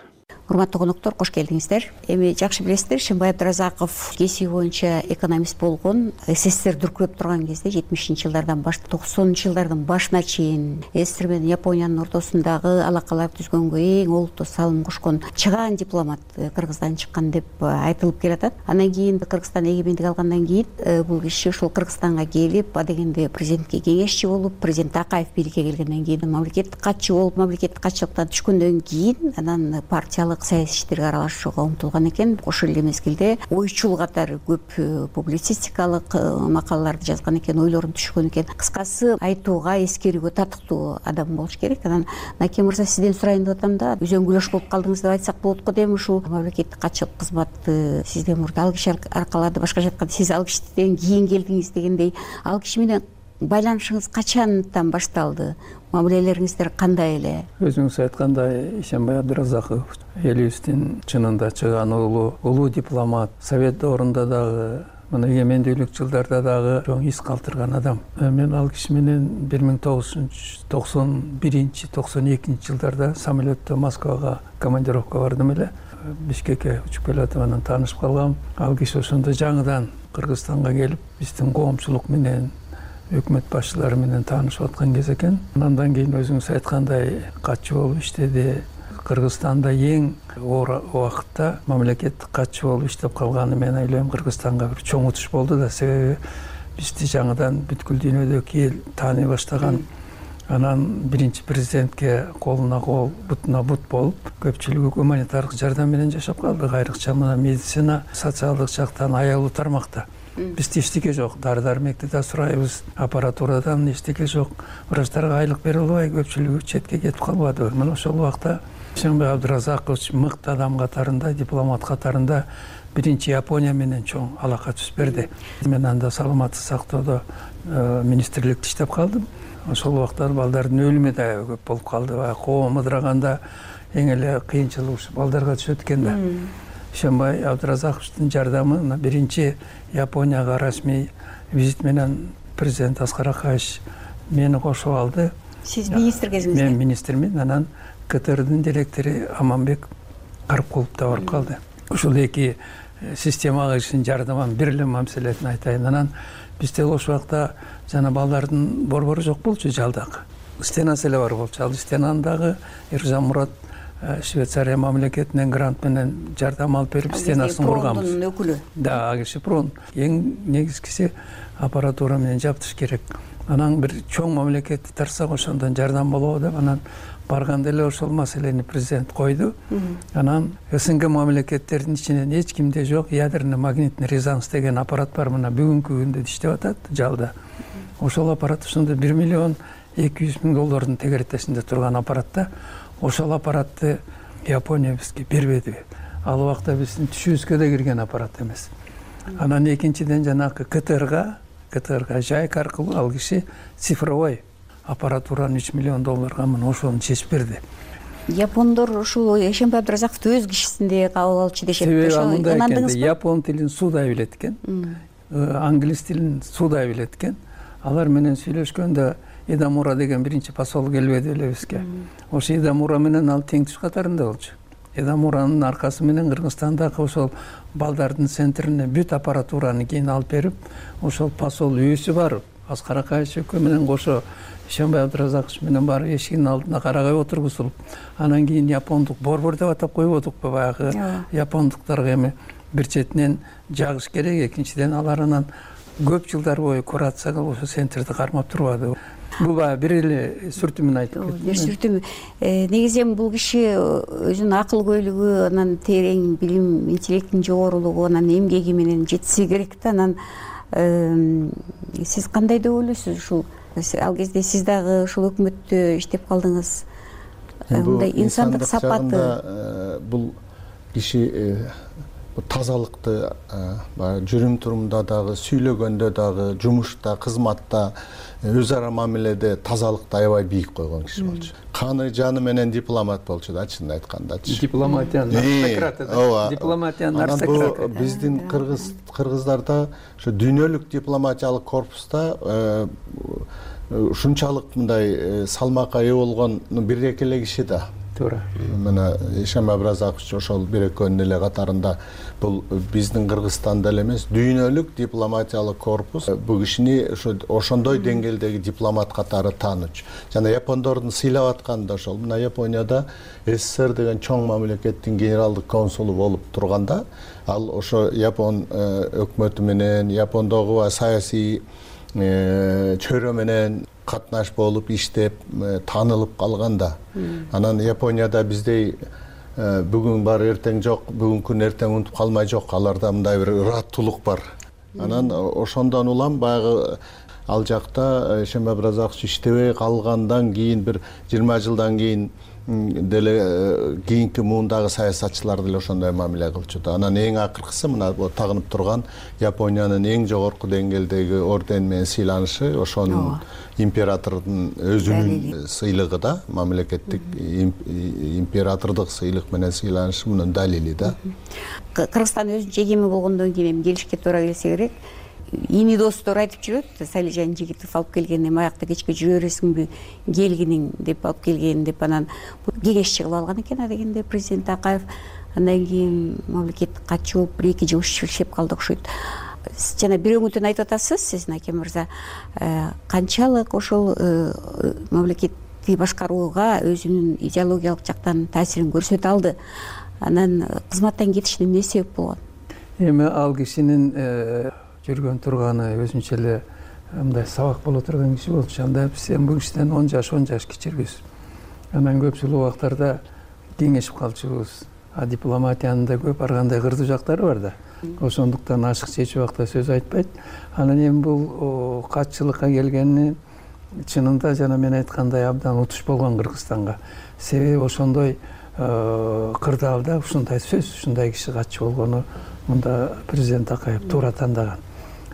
Урматтуу коноктор, кош келдиңиздер. Эми жакшы билесиздер, Ишенбай Абдуразаков кесиби боюнча экономист болгон. СССР дүркүрөп турган кезде 70-жылдардан баштап 90-жылдардын башына чейин СССР менен Япониянын ортосундагы алакалар түзгөнгө эң олуттуу салым кошкон чыгаан дипломат Кыргыздан чыккан деп айтылып келатат. Андан кийин Кыргызстан эгемендик алгандан кийин бул киши ушул Кыргызстанга келип, адегенде президентке кеңешчи болуп, президент Акаев бийликке келгенден кийин мамлекеттик катчы болуп, мамлекеттик катчылыктан түшкөндөн кийин анан партиялык саясий иштерге аралашууга умтулган экен. Ошол эле мезгилде ойчул катары көп публицистикалык макалаларды жазган экен, ойлорун түшкөн экен. Кыскасы айтууга, эскерүүгө татыктуу адам болуш керек. Анан Накен мырза, сизден сурайын деп атам да, үзөңгүлөш болуп калдыңыз деп айтсак болот го дейм. Ушул мамлекеттик катчылык кызматты сизден мурда ал киши аркалады, башкача айтканда сиз ал кишиден кийин келдиңиз дегендей. Ал киши менен байланышыңыз качандан башталды? Мамилелериңиздер кандай эле? Өзүңүз айткандай, Ишенбай Абдуразаков элибиздин чынында чыгаан улуу дипломат, совет доорунда дагы, мына эгемендүүлүк жылдарда дагы чоң из калтырган адам. Мен ал киши менен 1991-92 жылдарда самолетто Москвага командировка бардым эле. Бишкекке учуп келатып анан таанышып калгам. Ал киши ошондо жаңыдан Кыргызстанга келип, биздин коомчулук менен, өкмөт башчылары менен таанышып аткан кез экен. Андан кийин өзүңүз айткандай катчы болуп иштеди. Кыргызстанда эң оор убакытта мамлекеттик катчы болуп иштеп калганы мен ойлойм Кыргызстанга бир чоң утуш болду да, себеби бизди жаңыдан бүткүл дүйнөдөгү эл тааный баштаган. Анан биринчи президентке колуна кол, бутуна бут болуп, көпчүлүгү гуманитардык жардам менен жашап калдык. Айрыкча мына медицина, социалдык жактан аялуу тармакта. Бизде эчтеке жок, дары-дармекти да сурайбыз, аппаратурадан эчтеке жок. Врачтарга айлык бере албай, көпчүлүгү четке кетип калбады. Мына ошол убакта Ишенбай Абдуразакович мыкты адам катарында, дипломат катарында биринчи Япония менен чоң алака түзүп берди. Мен анда саламаттык сактоодо министрликте иштеп калдым. Ошол убакта балдардын өлүмү да көп болуп калды. Коом ыдыраганда эң эле кыйынчылык ушу балдарга түшөт экен да. Ишенбай Абдуразаковичтин жардамы биринчи Японияга расмий визит менен президент Аскар Акаевич мени кошуп алды. Сиз министр кезиңизде? Мен министрмин. Анан КТРдин директору Аманбек Карпкулов да барып калды. Ушул эки системага кишинин жардамын бир эле маселесин айтайын. Анан бизде ошол убакта жана балдардын борбору жок болчу, жалдак. Стенасы эле бар болчу. Ал стенаны дагы Эржан Мурат Швейцария мамлекетинен грант менен жардам алып берип стенасын курганбыз. Прондун өкүлү. Да, киши прон. Эң негизгиси аппаратура менен жаптыш керек. Анан бир чоң мамлекетти тарсак ошондон жардам болобу деп анан барганда эле ошол маселени президент койду. Анан СНГ мамлекеттердин ичинен эч кимде жок ядерный магнитный резонанс деген аппарат бар. Мына бүгүнкү күндө иштеп атат жалда. Ошол аппарат ошондо 1 миллион 200 000 доллардын тегеретесинде турган аппаратта. Ошол аппаратты Япония бизге бербеди. Ал убакта биздин түшүбүзгө да кирген аппарат эмес. Анан экинчиден жанагы КТРга жайк аркылуу ал киши цифровой аппаратураны 3 миллион долларга мына ошону чечип берди. Япондор ушул Ишенбай Абдуразаковду өз кишисинде кабыл алчу дешет. Себеби япон тилин суудай билет экен, англис тилин суудай билет экен. Алар менен сүйлөшкөндө Идамура деген биринчи посол келбеди эле бизге. Ошо Идамура менен ал тең түш катарында болчу. Идамуранын аркасы менен Кыргызстандагы ошол балдардын центрине бүт аппаратураны кийин алып берип, ошол посол үйүсү барып, Аскар Акаевич экөө менен кошо Ишенбай Абдуразакович менен барып эшигинин алдына карагай отургузулуп, анан кийин япондук борбор деп атап койбодукпу баягы япондуктарга эми бир четинен жагыш керек, экинчиден алар анан көп жылдар бою курация кылып ошо центрди кармап турбады. Бул бир эле сүртүмүн айтып кеттим. Бир сүртүм. Негизи бул киши өзүнүн акыл-көйлүгү, анан терең билим, интеллектин жогорулугу, анан эмгеги менен жетиси керек да. Анан сиз кандай деп ойлойсуз ушул Ал кезде сиз дагы ушул өкмөттө иштеп калдыңыз. Мындай инсандык сапаты бул киши тазалыкты жүрүм турумда дагы, сүйлөгөндө дагы, жумушта, кызматта, өз ара мамиледе тазалыкты аябай бийик койгон киши болчу. Каны жаны менен дипломат болчу да, чынын айткандачы. Дипломатиянын аристократы да. Дипломатиянын аристократы. Биздин кыргыздарда ошо дүйнөлүк дипломатиялык корпуста ушунчалык мындай салмакка ээ болгон бир-эки эле киши да. Туура. Мына Ишем Абразакович ошол бир экөөнүн эле катарында. Бул биздин Кыргызстанда эле эмес, дүйнөлүк дипломатиялык корпус бул кишини ошондой деңгээлдеги дипломат катары таанычу. Жана япондордун сыйлап атканы да ошол. Мына Японияда СССР деген чоң мамлекеттин генералдык консулу болуп турганда, ал ошо Япон өкмөтү менен, Япондогу саясий чөйрө менен катнаш болуп иштеп таанылып калганда, анан Японияда биздей бүгүн бар эртең жок, бүгүн күн эртең унутуп калмай жок, аларда мындай бир ыраттуулук бар. Анан ошондон улам баягы ал жакта Ишем Абразакович иштебей калгандан кийин бир 20 жылдан кийин деле кийинки муундагы саясатчылар деле ошондой мамиле кылчу да. Анан эң акыркысы мына тагынып турган Япониянын эң жогорку деңгээлдеги орден менен сыйланышы ошонун императордун өзүнүн сыйлыгы да, мамлекеттик императордук сыйлык менен сыйланышы мунун далили да. Кыргызстан өзүнчө эгемен болгондон кийин эми келишке туура келсе керек. Ини достор айтып жүрөт, Салижан Жигитов алып келген, эми аякта кечке жүрө бересиңби, келгиниң деп алып келген деп, анан кеңешчи кылып алган экен дегенде президент Акаев. Андан кийин мамлекеттик катчы болуп бир эки жыл иштеп калды окшойт. Жана бирөөңүтөн айтып атасыз, сиз Наке мырза, канчалык ошол мамлекетти башкарууга өзүнүн идеологиялык жактан таасирин көрсөтө алды. Анан кызматтан кетишине эмне себеп болгон? Эми ал кишинин жүргөн турганы өзүнчө эле мындай сабак боло турган киши болчу. Анда биз бул кишиден 10 жаш кичирбиз. Анан көпчүлүк убактарда кеңешип калчубуз. Дипломатиянын да көп ар кандай кырдуу жактары бар да. Ошондуктан ашык чечүү убакта сөз айтпайт. Анан эми бул катчылыкка келгени чынында жана мен айткандай абдан утуш болгон Кыргызстанга. Себеби ошондой кырдаалда ушундай сөз, ушундай киши катчы болгону мында президент Акаев туура тандаган.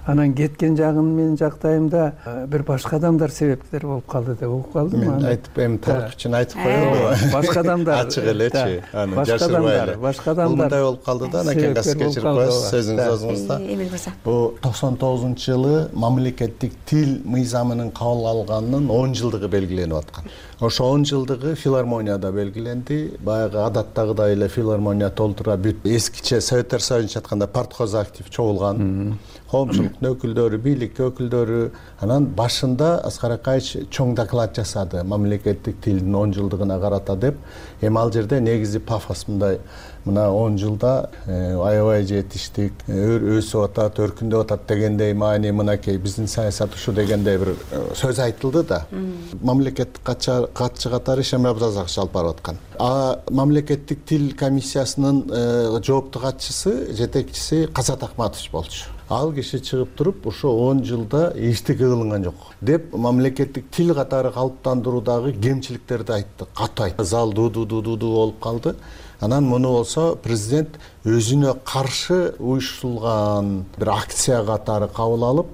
Анан кеткен жагын мен жактайымда бир башка адамдар себептер болуп калды деп угуп калдым. Мен айтып, эми тарых үчүн айтып коелу. Башка адамдар ачык элечи, аны жашырбай эле. Башка адамдар мындай болуп калды да, анан кеңес кечирип коесуз сөзүңүз өзүңүздө. Эмил мырза. Бул 99-жылы мамлекеттик тил мыйзамынын кабыл алганынын 10 жылдыгы белгиленип аткан. Ошо 10 жылдыгы филармонияда белгиленди. Баягы адаттагыдай эле филармония толтура бүт. Эскиче Советтер Союзунча айтканда партхоз актив чогулган. Коомчулуктун өкүлдөрү, бийлик өкүлдөрү. Анан башында Аскар Акаевич чоң доклад жасады мамлекеттик тилдин 10 жылдыгына карата деп. Эми ал жерде негизи пафос мындай, мына 10 жылда аябай жетиштик, өсүп атат, өркүндөп атат дегендей маани мынакей биздин саясат ушу дегендей бир сөз айтылды да. Мамлекеттик катчы катары Ишем Абразакович алып барып аткан. Мамлекеттик тил комиссиясынын жоопту катчысы, жетекчиси Казат Акматович болчу. Ал киши чыгып туруп, ошо 10 жылда эчтеке кылынган жок деп мамлекеттик тил катары калыптандыруудагы кемчиликтерди айтты, катуу айтты. Зал ду болуп калды. Анан муну болсо президент өзүнө каршы уюштурулган бир акция катары кабыл алып,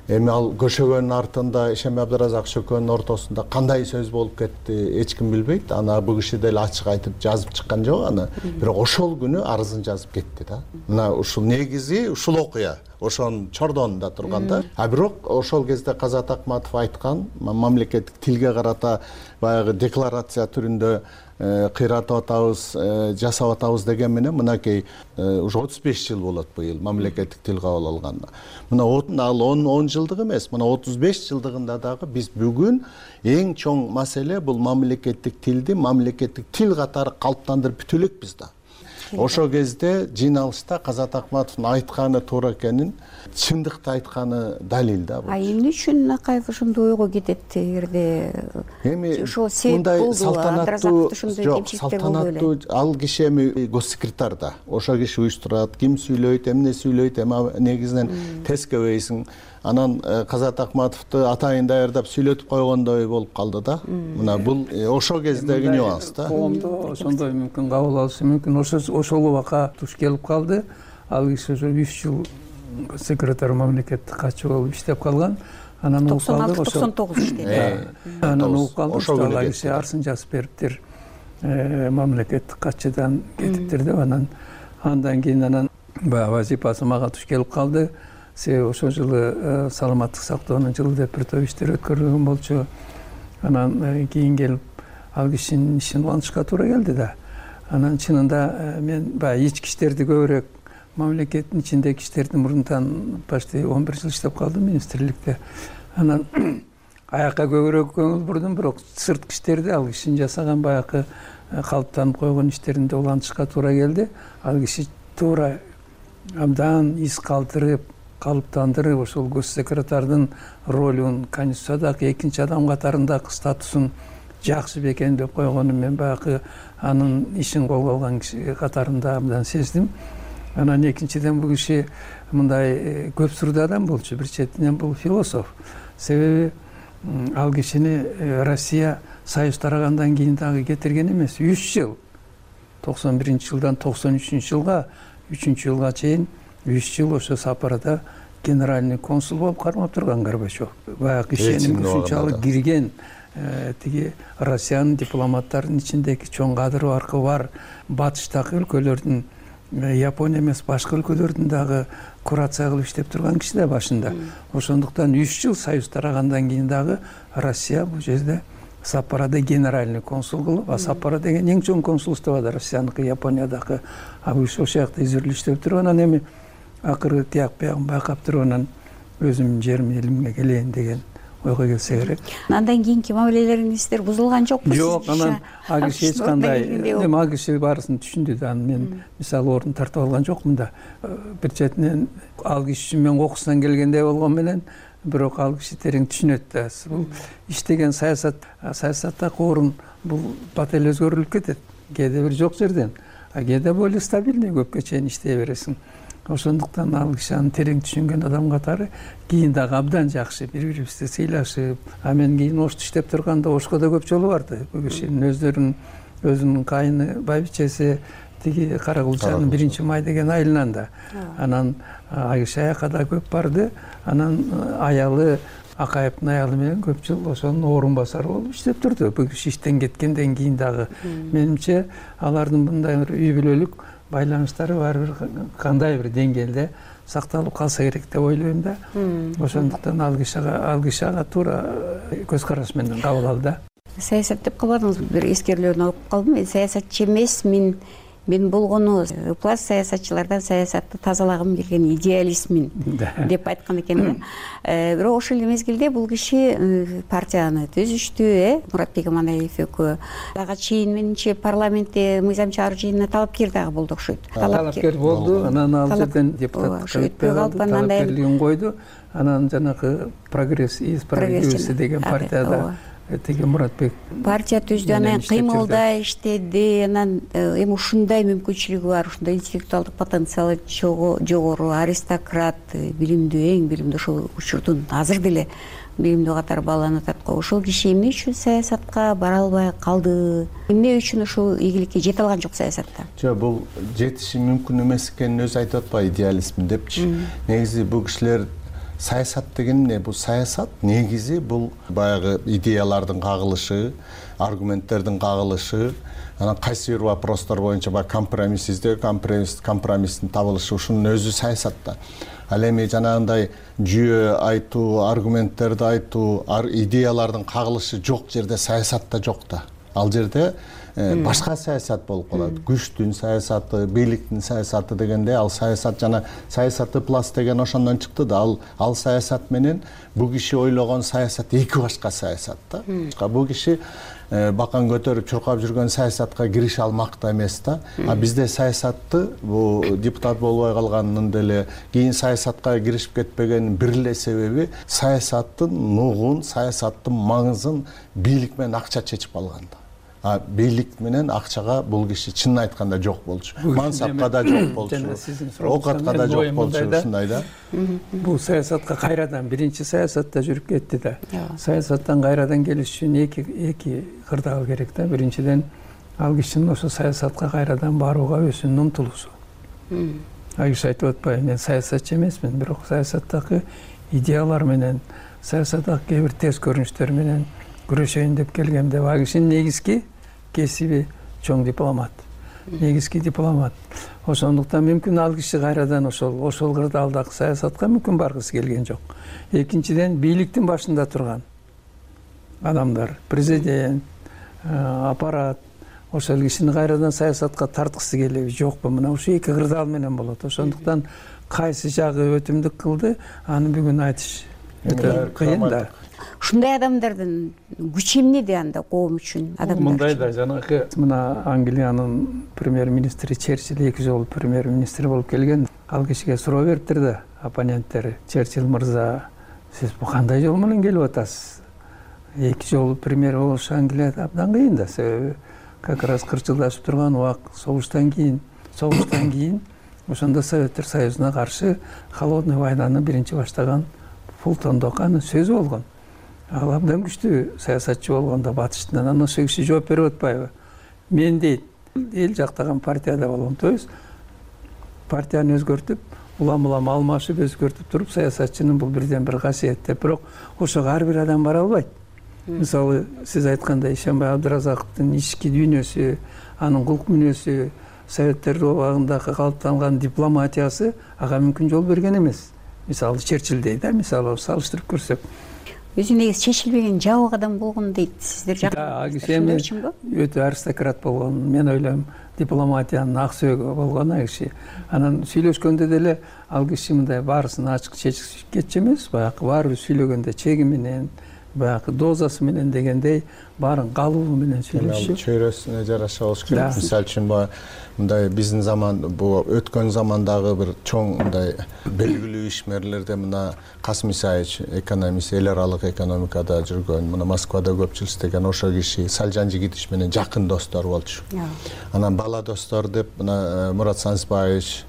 эми ал көшөгөнүн артында Ишем Абдыразакович экөөнүн ортосунда кандай сөз болуп кетти эч ким билбейт. Аны бул киши деле ачык айтып жазып чыккан жок аны. Бирок ошол күнү арызын жазып кетти да. Мына ушул негизи ушул окуя. Ошонун чордонунда турганда. Бирок ошол кезде Казат Акматов айткан мамлекеттик тилге карата баягы декларация түрүндө кыйратып атабыз, жасап атабыз деген менен мынакей уже 35 жыл болот быйыл мамлекеттик тил кабыл алганына. Мына ал 10 жылдык эмес, мына 35 жылдыгында дагы биз бүгүн эң чоң маселе бул мамлекеттик тилди мамлекеттик тил катары калыптандырып бүтө элекпиз да. ошол кезде жыйналышта Казат Акматовдун айтканы туура экенин чындыкты айтканы далил да бул. Эмне үчүн Акаев ошондой ойго кетет? Эгерде эми ошол себеп болду, салтанаттуу ал киши эми госсекретарь да, ошол киши уюштурат, ким сүйлөйт, эмне сүйлөйт, эми негизинен тескебейсиң. Анан Казат Акматовду атайын даярдап сүйлөтүп койгондой болуп калды да. Мына бул ошол кездеги нюанс да. Коомдо ошондой мүмкүн кабыл алышы мүмкүн. Ошол убакка туш келип калды. Ал киши ошо 3 жыл секретарь мамлекеттик катчы болуп иштеп калган. Анан угуп калды. 96-99 иштеди. Анан угуп калды. Ошол киши арсын жазып бериптир. Мамлекеттик катчыдан кетиптир деп андан кийин анан баягы вазифасы мага туш келип калды. Себеби ошол жылы саламаттык сактоонун жылы деп бир топ иштер өткөрүлгөн болчу. Анан кийин келип ал кишинин ишин улантышка туура келди да. Анан чынында мен баягы ички иштерди көбүрөөк, мамлекеттин ичиндеги иштерди мурунтан почти 11 жыл иштеп калдым министрликте. Анан аякка көбүрөөк көңүл бурдум, бирок сырткы иштерди ал кишинин жасаган баягы калыптанып койгон иштеринде улантышка туура келди. Ал киши туура абдан из калтырып, калыптандырып ошол госсекретардын ролун Конституциядагы экинчи адам катарындагы статусун жакшы бекен деп койгонун мен баягы анын ишин колго алган киши катарында абдан сездим. Анан экинчиден бул киши мындай көп сурдуу адам болчу. Бир четинен бул философ. Себеби ал кишини Россия союз тарагандан кийин дагы кетирген эмес. 3 жыл 91-жылдан 93-жылга 3-жылга чейин 3 жыл ошо сапарда генеральный консул болуп кармап турган Горбачев. Баягы ишеним ушунчалык кирген тиги Россиянын дипломаттарынын ичиндеги чоң кадыр баркы бар батыштагы өлкөлөрдүн Япония эмес башка өлкөлөрдүн дагы курация кылып иштеп турган киши да башында. Ошондуктан 3 жыл союз тарагандан кийин дагы Россия бул жерде Саппорода генеральный консул кылып, а Саппоро деген эң чоң консулство да Россияныкы, Япониядагы. Ошол жакта изирлеп иштеп туруп анан эми акыры тияк биягын байкап туруп анан өзүмдүн жерим элимге келейин деген ойго келсе керек. Андан кийинки мамилелериңиздер бузулган жокпу? Жок, анан ал киши эч кандай, эми ал киши баарысын түшүндү да. Мен мисалы орун тартып алган жокмун да. Бир четинен ал киши үчүн мен кокусунан келгендей болгон менен, бирок ал киши терең түшүнөт да. Бул иштеген саясаттагы орун бул бат эле өзгөрүлүп кетет. Кээде бир жок жерден, а кээде более стабильный көпкө чейин иштей бересиң. Ошондуктан ал киши аны терең түшүнгөн адам катары кийин дагы абдан жакшы бири-бирибизди сыйлашып, а мен кийин Ошто иштеп турганда Ошко да көп жолу барды. Бул кишинин өзүнүн кайны байбичеси тиги Каракулчанын 1-май деген айылынан да. Анан ал киши аякка да көп барды. Анан аялы Акаевдин аялы менен көп жыл ошонун орун басары болуп иштеп турду. Бул киши иштен кеткенден кийин дагы менимче алардын мындай бир үй бүлөлүк байланыштары баары бир кандай бир деңгээлде сакталып калса керек деп ойлойм да. Ошондуктан ал киши ага туура көз караш менен кабыл алды да. Саясат деп калбадыңыз, бир эскерүүлөрүн окуп калдым. Мен саясатчы эмес, мен болгону ыплас саясатчылардан саясатты тазалагым келген идеалистмин деп айткан экен. Бирок ошол эле мезгилде бул киши партияны түзүштү, Муратбек Аманаев экөө. Ага чейин менимче парламентте мыйзам чыгаруу жыйынына талапкер дагы болду окшойт. Талапкер болду, анан ал жерден депутаттыкка өтпөй калды, талапкерлигин койду. Анан жанагы прогресс деген партияда тиги Муратбек партия түздү, анан кыймылдай иштеди, анан эми ушундай мүмкүнчүлүгү бар, ушундай интеллектуалдык потенциалы жогору, аристократ, билимдүү, эң билимдүү, ошол учурдун азыр деле билимдүү катары бааланып атат го. Ошол киши эмне үчүн саясатка бара албай калды? Эмне үчүн ошол ийгиликке жете алган жок саясатта? Жок, бул жетиши мүмкүн эмес экенин өзү айтып атпайбы, идеализм депчи. Негизи бул кишилер саясат деген эмне? Бул саясат негизи бул баягы идеялардын кагылышы, аргументтердин кагылышы, анан кайсы бир вопростор боюнча баягы компромисс издөө, компромисстин табылышы, ушунун өзү саясат да. Ал эми жанагындай жүйө айтуу, аргументтерди айтуу, идеялардын кагылышы жок жерде саясат да жок да. Ал жерде башка саясат болуп калат. Күчтүн саясаты, бийликтин саясаты дегенде ал саясат жана саясаты плас деген ошондон чыкты да. Ал саясат менен бул киши ойлогон саясат эки башка саясат да. Бул киши бакан көтөрүп чуркап жүргөн саясатка кирише алмак да эмес да. Бизде саясатты бул депутат болбой калганын деле кийин саясатка киришип кетпегенин бир эле себеби саясаттын нугун, саясаттын маңызын бийлик менен акча чечип алган да. Бийлик менен акчага бул киши чынын айтканда жок болчу. Мансапка да жок болчу. Оокатка да жок болчу, ушундай да. Бул саясатка кайрадан биринчи саясатта жүрүп кетти да. Саясаттан кайрадан келиш үчүн эки кырдаал керек да. Биринчиден ал кишинин ошо саясатка кайрадан барууга өзүнүн умтулуусу. Киши айтып атпайбы, мен саясатчы эмесмин, бирок саясаттагы идеялар менен, саясаттагы кээ бир терс көрүнүштөр менен күрөшөйүн деп келгем деп. Кишинин негизги кесиби чоң дипломат. Негизги дипломат. Ошондуктан мүмкүн ал киши кайрадан ошол кырдаалдагы саясатка мүмкүн баргысы келген жок. Экинчиден бийликтин башында турган адамдар, президент, аппарат ошол кишини кайрадан саясатка тарткысы келеби жокпу? Мына ушу эки кырдаал менен болот. Ошондуктан кайсы жагы өтүмдүк кылды, аны бүгүн айтыш өтө кыйын да. Ушундай адамдардын күчү эмнеде анда коом үчүн адамдар? Мындай да, жанагы мына Англиянын премьер-министри Черчилль 2 жолу премьер-министр болуп келген. Ал кишиге суроо бериптир да, оппоненттери. Черчилль мырза, сиз бу кандай жол менен келип атасыз? 2 жолу премьер болуш Англияда абдан кыйын да, себеби как раз кырчылдашып турган убак согуштан кийин ошондо Советтер Союзуна каршы холодный войнаны биринчи баштаган Фултон Доканын сөзү болгон. Ал абдан күчтүү саясатчы болгондо батыштан. Анан ошол киши жооп берип атпайбы? Мен дейт, эл жактаган партияда болгом. То есть партияны өзгөртүп, улам алмашып өзгөртүп туруп саясатчынын бул бирден бир касиети. Бирок ошого ар бир адам бара албайт. Мисалы, сиз айткандай Ишенбай Абдыразаковдун ички дүйнөсү, анын кулк мүнөзү, Советтер убагындагы калыптанган дипломатиясы ага мүмкүн жол берген эмес. Мисалы Черчилль да, мисалы салыштырып көрсөк. Өзү негизи чечилбеген жабык адам болгон дейт. Сиздер жакшы өтө аристократ болгон. Мен ойлойм, дипломатиянын ак сөөгү болгон киши. Анан сүйлөшкөндө деле ал киши мындай баарысын ачык чечип кетчү эмес, баягы баары бир сүйлөгөндө чеги менен, баягы дозасы менен дегендей баарын калыбы менен сүйлөшчү. Чөйрөсүнө жараша болуш керек. Мисалы үчүн мындай биздин заман, бул өткөн замандагы бир чоң мындай белгилүү ишмерлерде мына Касым Исаевич, экономист, эл аралык экономикада жүргөн, мына Москвада көпчүл иштеген ошол киши Салжан Жигитич менен жакын достор болчу. Анан бала достор деп мына Мурат Санысбаевич,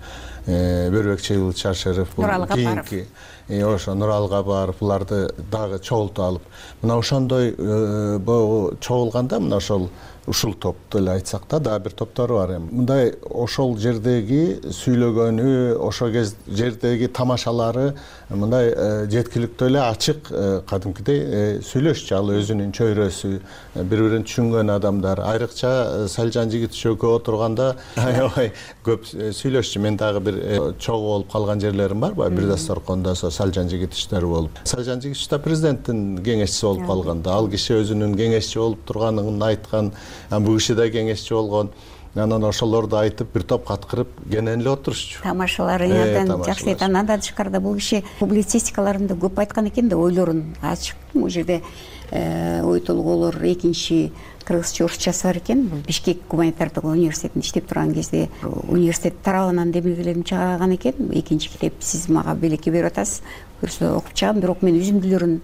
Бөрбек Чашыров, кийинки ошо Нурал Кабаров, буларды дагы чогултуп алып, мына ошондой чогулганда мына ушул топту эле айтсак да, дагы бир топтору бар эми. Мындай ошол жердеги сүйлөгөнү, ошол жердеги тамашалары мындай жеткиликтүү эле ачык, кадимкидей сүйлөшчү. Ал өзүнүн чөйрөсү, бири-бирин түшүнгөн адамдар. Айрыкча Салжан Жигитич экөө отурганда аябай көп сүйлөшчү. Мен дагы бир чогуу болуп калган жерлерим бар, бир дасторкондо Салжан Жигитичтер болуп. Салжан Жигитич да президенттин кеңешчиси болуп калганда, ал киши өзүнүн кеңешчи болуп турганын айткан. Бул киши да кеңешчи болгон. Анан ошолорду айтып, бир топ каткырып кенен эле отурушчу. Тамашалары абдан жакшы эт. Андан тышкарыда бул киши публицистикаларында көп айткан экен да, ойлорун ачык. Бул жерде ой толгоолор экинчи кыргызча орусчасы бар экен. Бул Бишкек гуманитардык университетинде иштеп турган кезде университет тарабынан демилгелерин чыгарган экен. Экинчи китеп сиз мага белекке берип атасыз. Көрсө окуп чыгам, бирок мен үзүндүлөрүн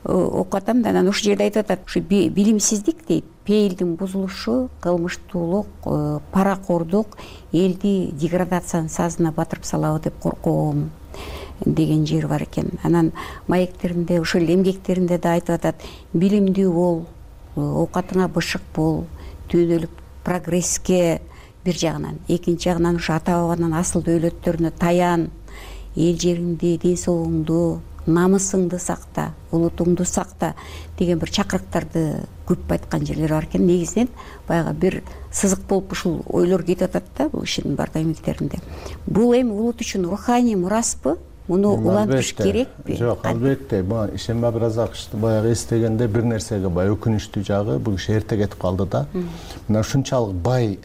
окуп атам да. Анан ушул жерде айтып атат, ушу билимсиздик дейт, пейилдин бузулушу, кылмыштуулук, паракордук элди деградациянын сазына батырып салабы деп корком деген жери бар экен. Анан маектеринде, ушул эмгектеринде да айтып атат, билимдүү бол, оокатыңа бышык бол, дүйнөлүк прогресске бир жагынан, экинчи жагынан ушу ата бабанын асыл дөөлөттөрүнө таян, эл жериңди, ден соолугуңду, намысыңды сакта, улутуңду сакта деген бир чакырыктарды көп айткан жерлери бар экен. Негизинен баягы бир сызык болуп ушул ойлор кетип атат да бул кишинин бардык эмгектеринде. Бул эми улут үчүн руханий мураспы, муну улантыш керекпи? Жок, албетте. Ишенбай Абразаковичти баягы эстегенде бир нерсеге баягы өкүнүчтүү жагы, бул киши эрте кетип калды да. Мына ушунчалык бай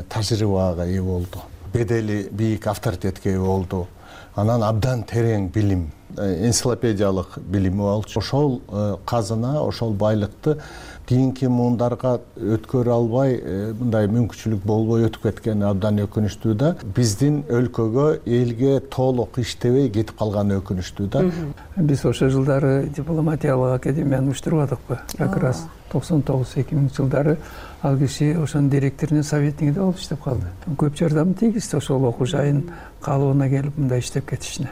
тажрыйбага ээ болду. Бедели бийик авторитетке ээ болду. Анан абдан терең билим, энциклопедиялык билими болчу. Ошол казына, ошол байлыкты кийинки муундарга өткөрө албай, мындай мүмкүнчүлүк болбой өтүп кеткени абдан өкүнүчтүү да. Биздин өлкөгө, элге толук иштебей кетип калганы өкүнүчтүү да. Биз ошол жылдары дипломатиялык академияны уюштурбадыкпы? Как раз 99-2000 жылдары ал киши ошонун директорунун советниги болуп иштеп калды. Көп жардамы тийгизди ошол окуу жайын калыбына келип мындай иштеп кетишине.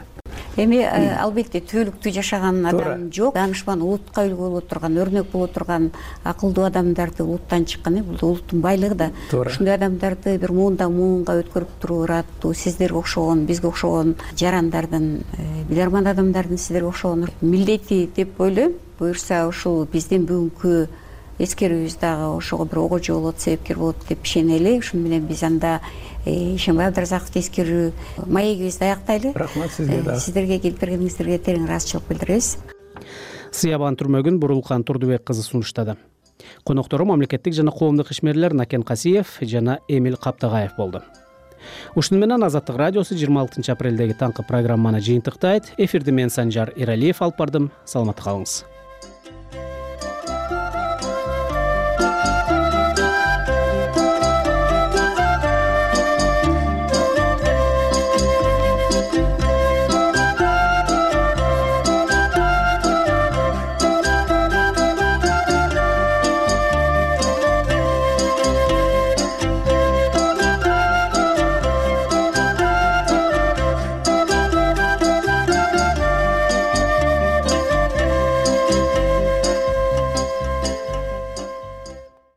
Эми албетте түбөлүктүү жашаган адам жок. Данышман улутка үлгү боло турган, өрнөк боло турган акылдуу адамдарды улуттан чыккан, бул улуттун байлыгы да. Ушундай адамдарды бир муундан муунга өткөрүп туруп ыраттуу, сиздерге окшогон, бизге окшогон жарандардын, биларман адамдардын сиздерге окшогон милдети деп ойлойм. Буюрса ушул биздин бүгүнкү эскерүүбүз дагы ошого бир огожо болот, себепкер болот деп ишенели. Ошону менен биз анда Ишенбай Абдыразаковду эскерүү маегибизди аяктайлы. Рахмат сизге дагы. Сиздерге келип бергениңиздерге терең ыраазычылык билдиребиз. Сыябан Түрмөгүн Бурулкан Турдубек кызы сунуштады. Коноктору мамлекеттик жана коомдук ишмерлер Накен Касиев жана Эмил Каптагаев болду. Ушуну менен Азаттык радиосу 26 апрелдеги таңкы программаны жыйынтыктайт. Эфирди мен Санжар Иралиев алып бардым. Саламатта калыңыз.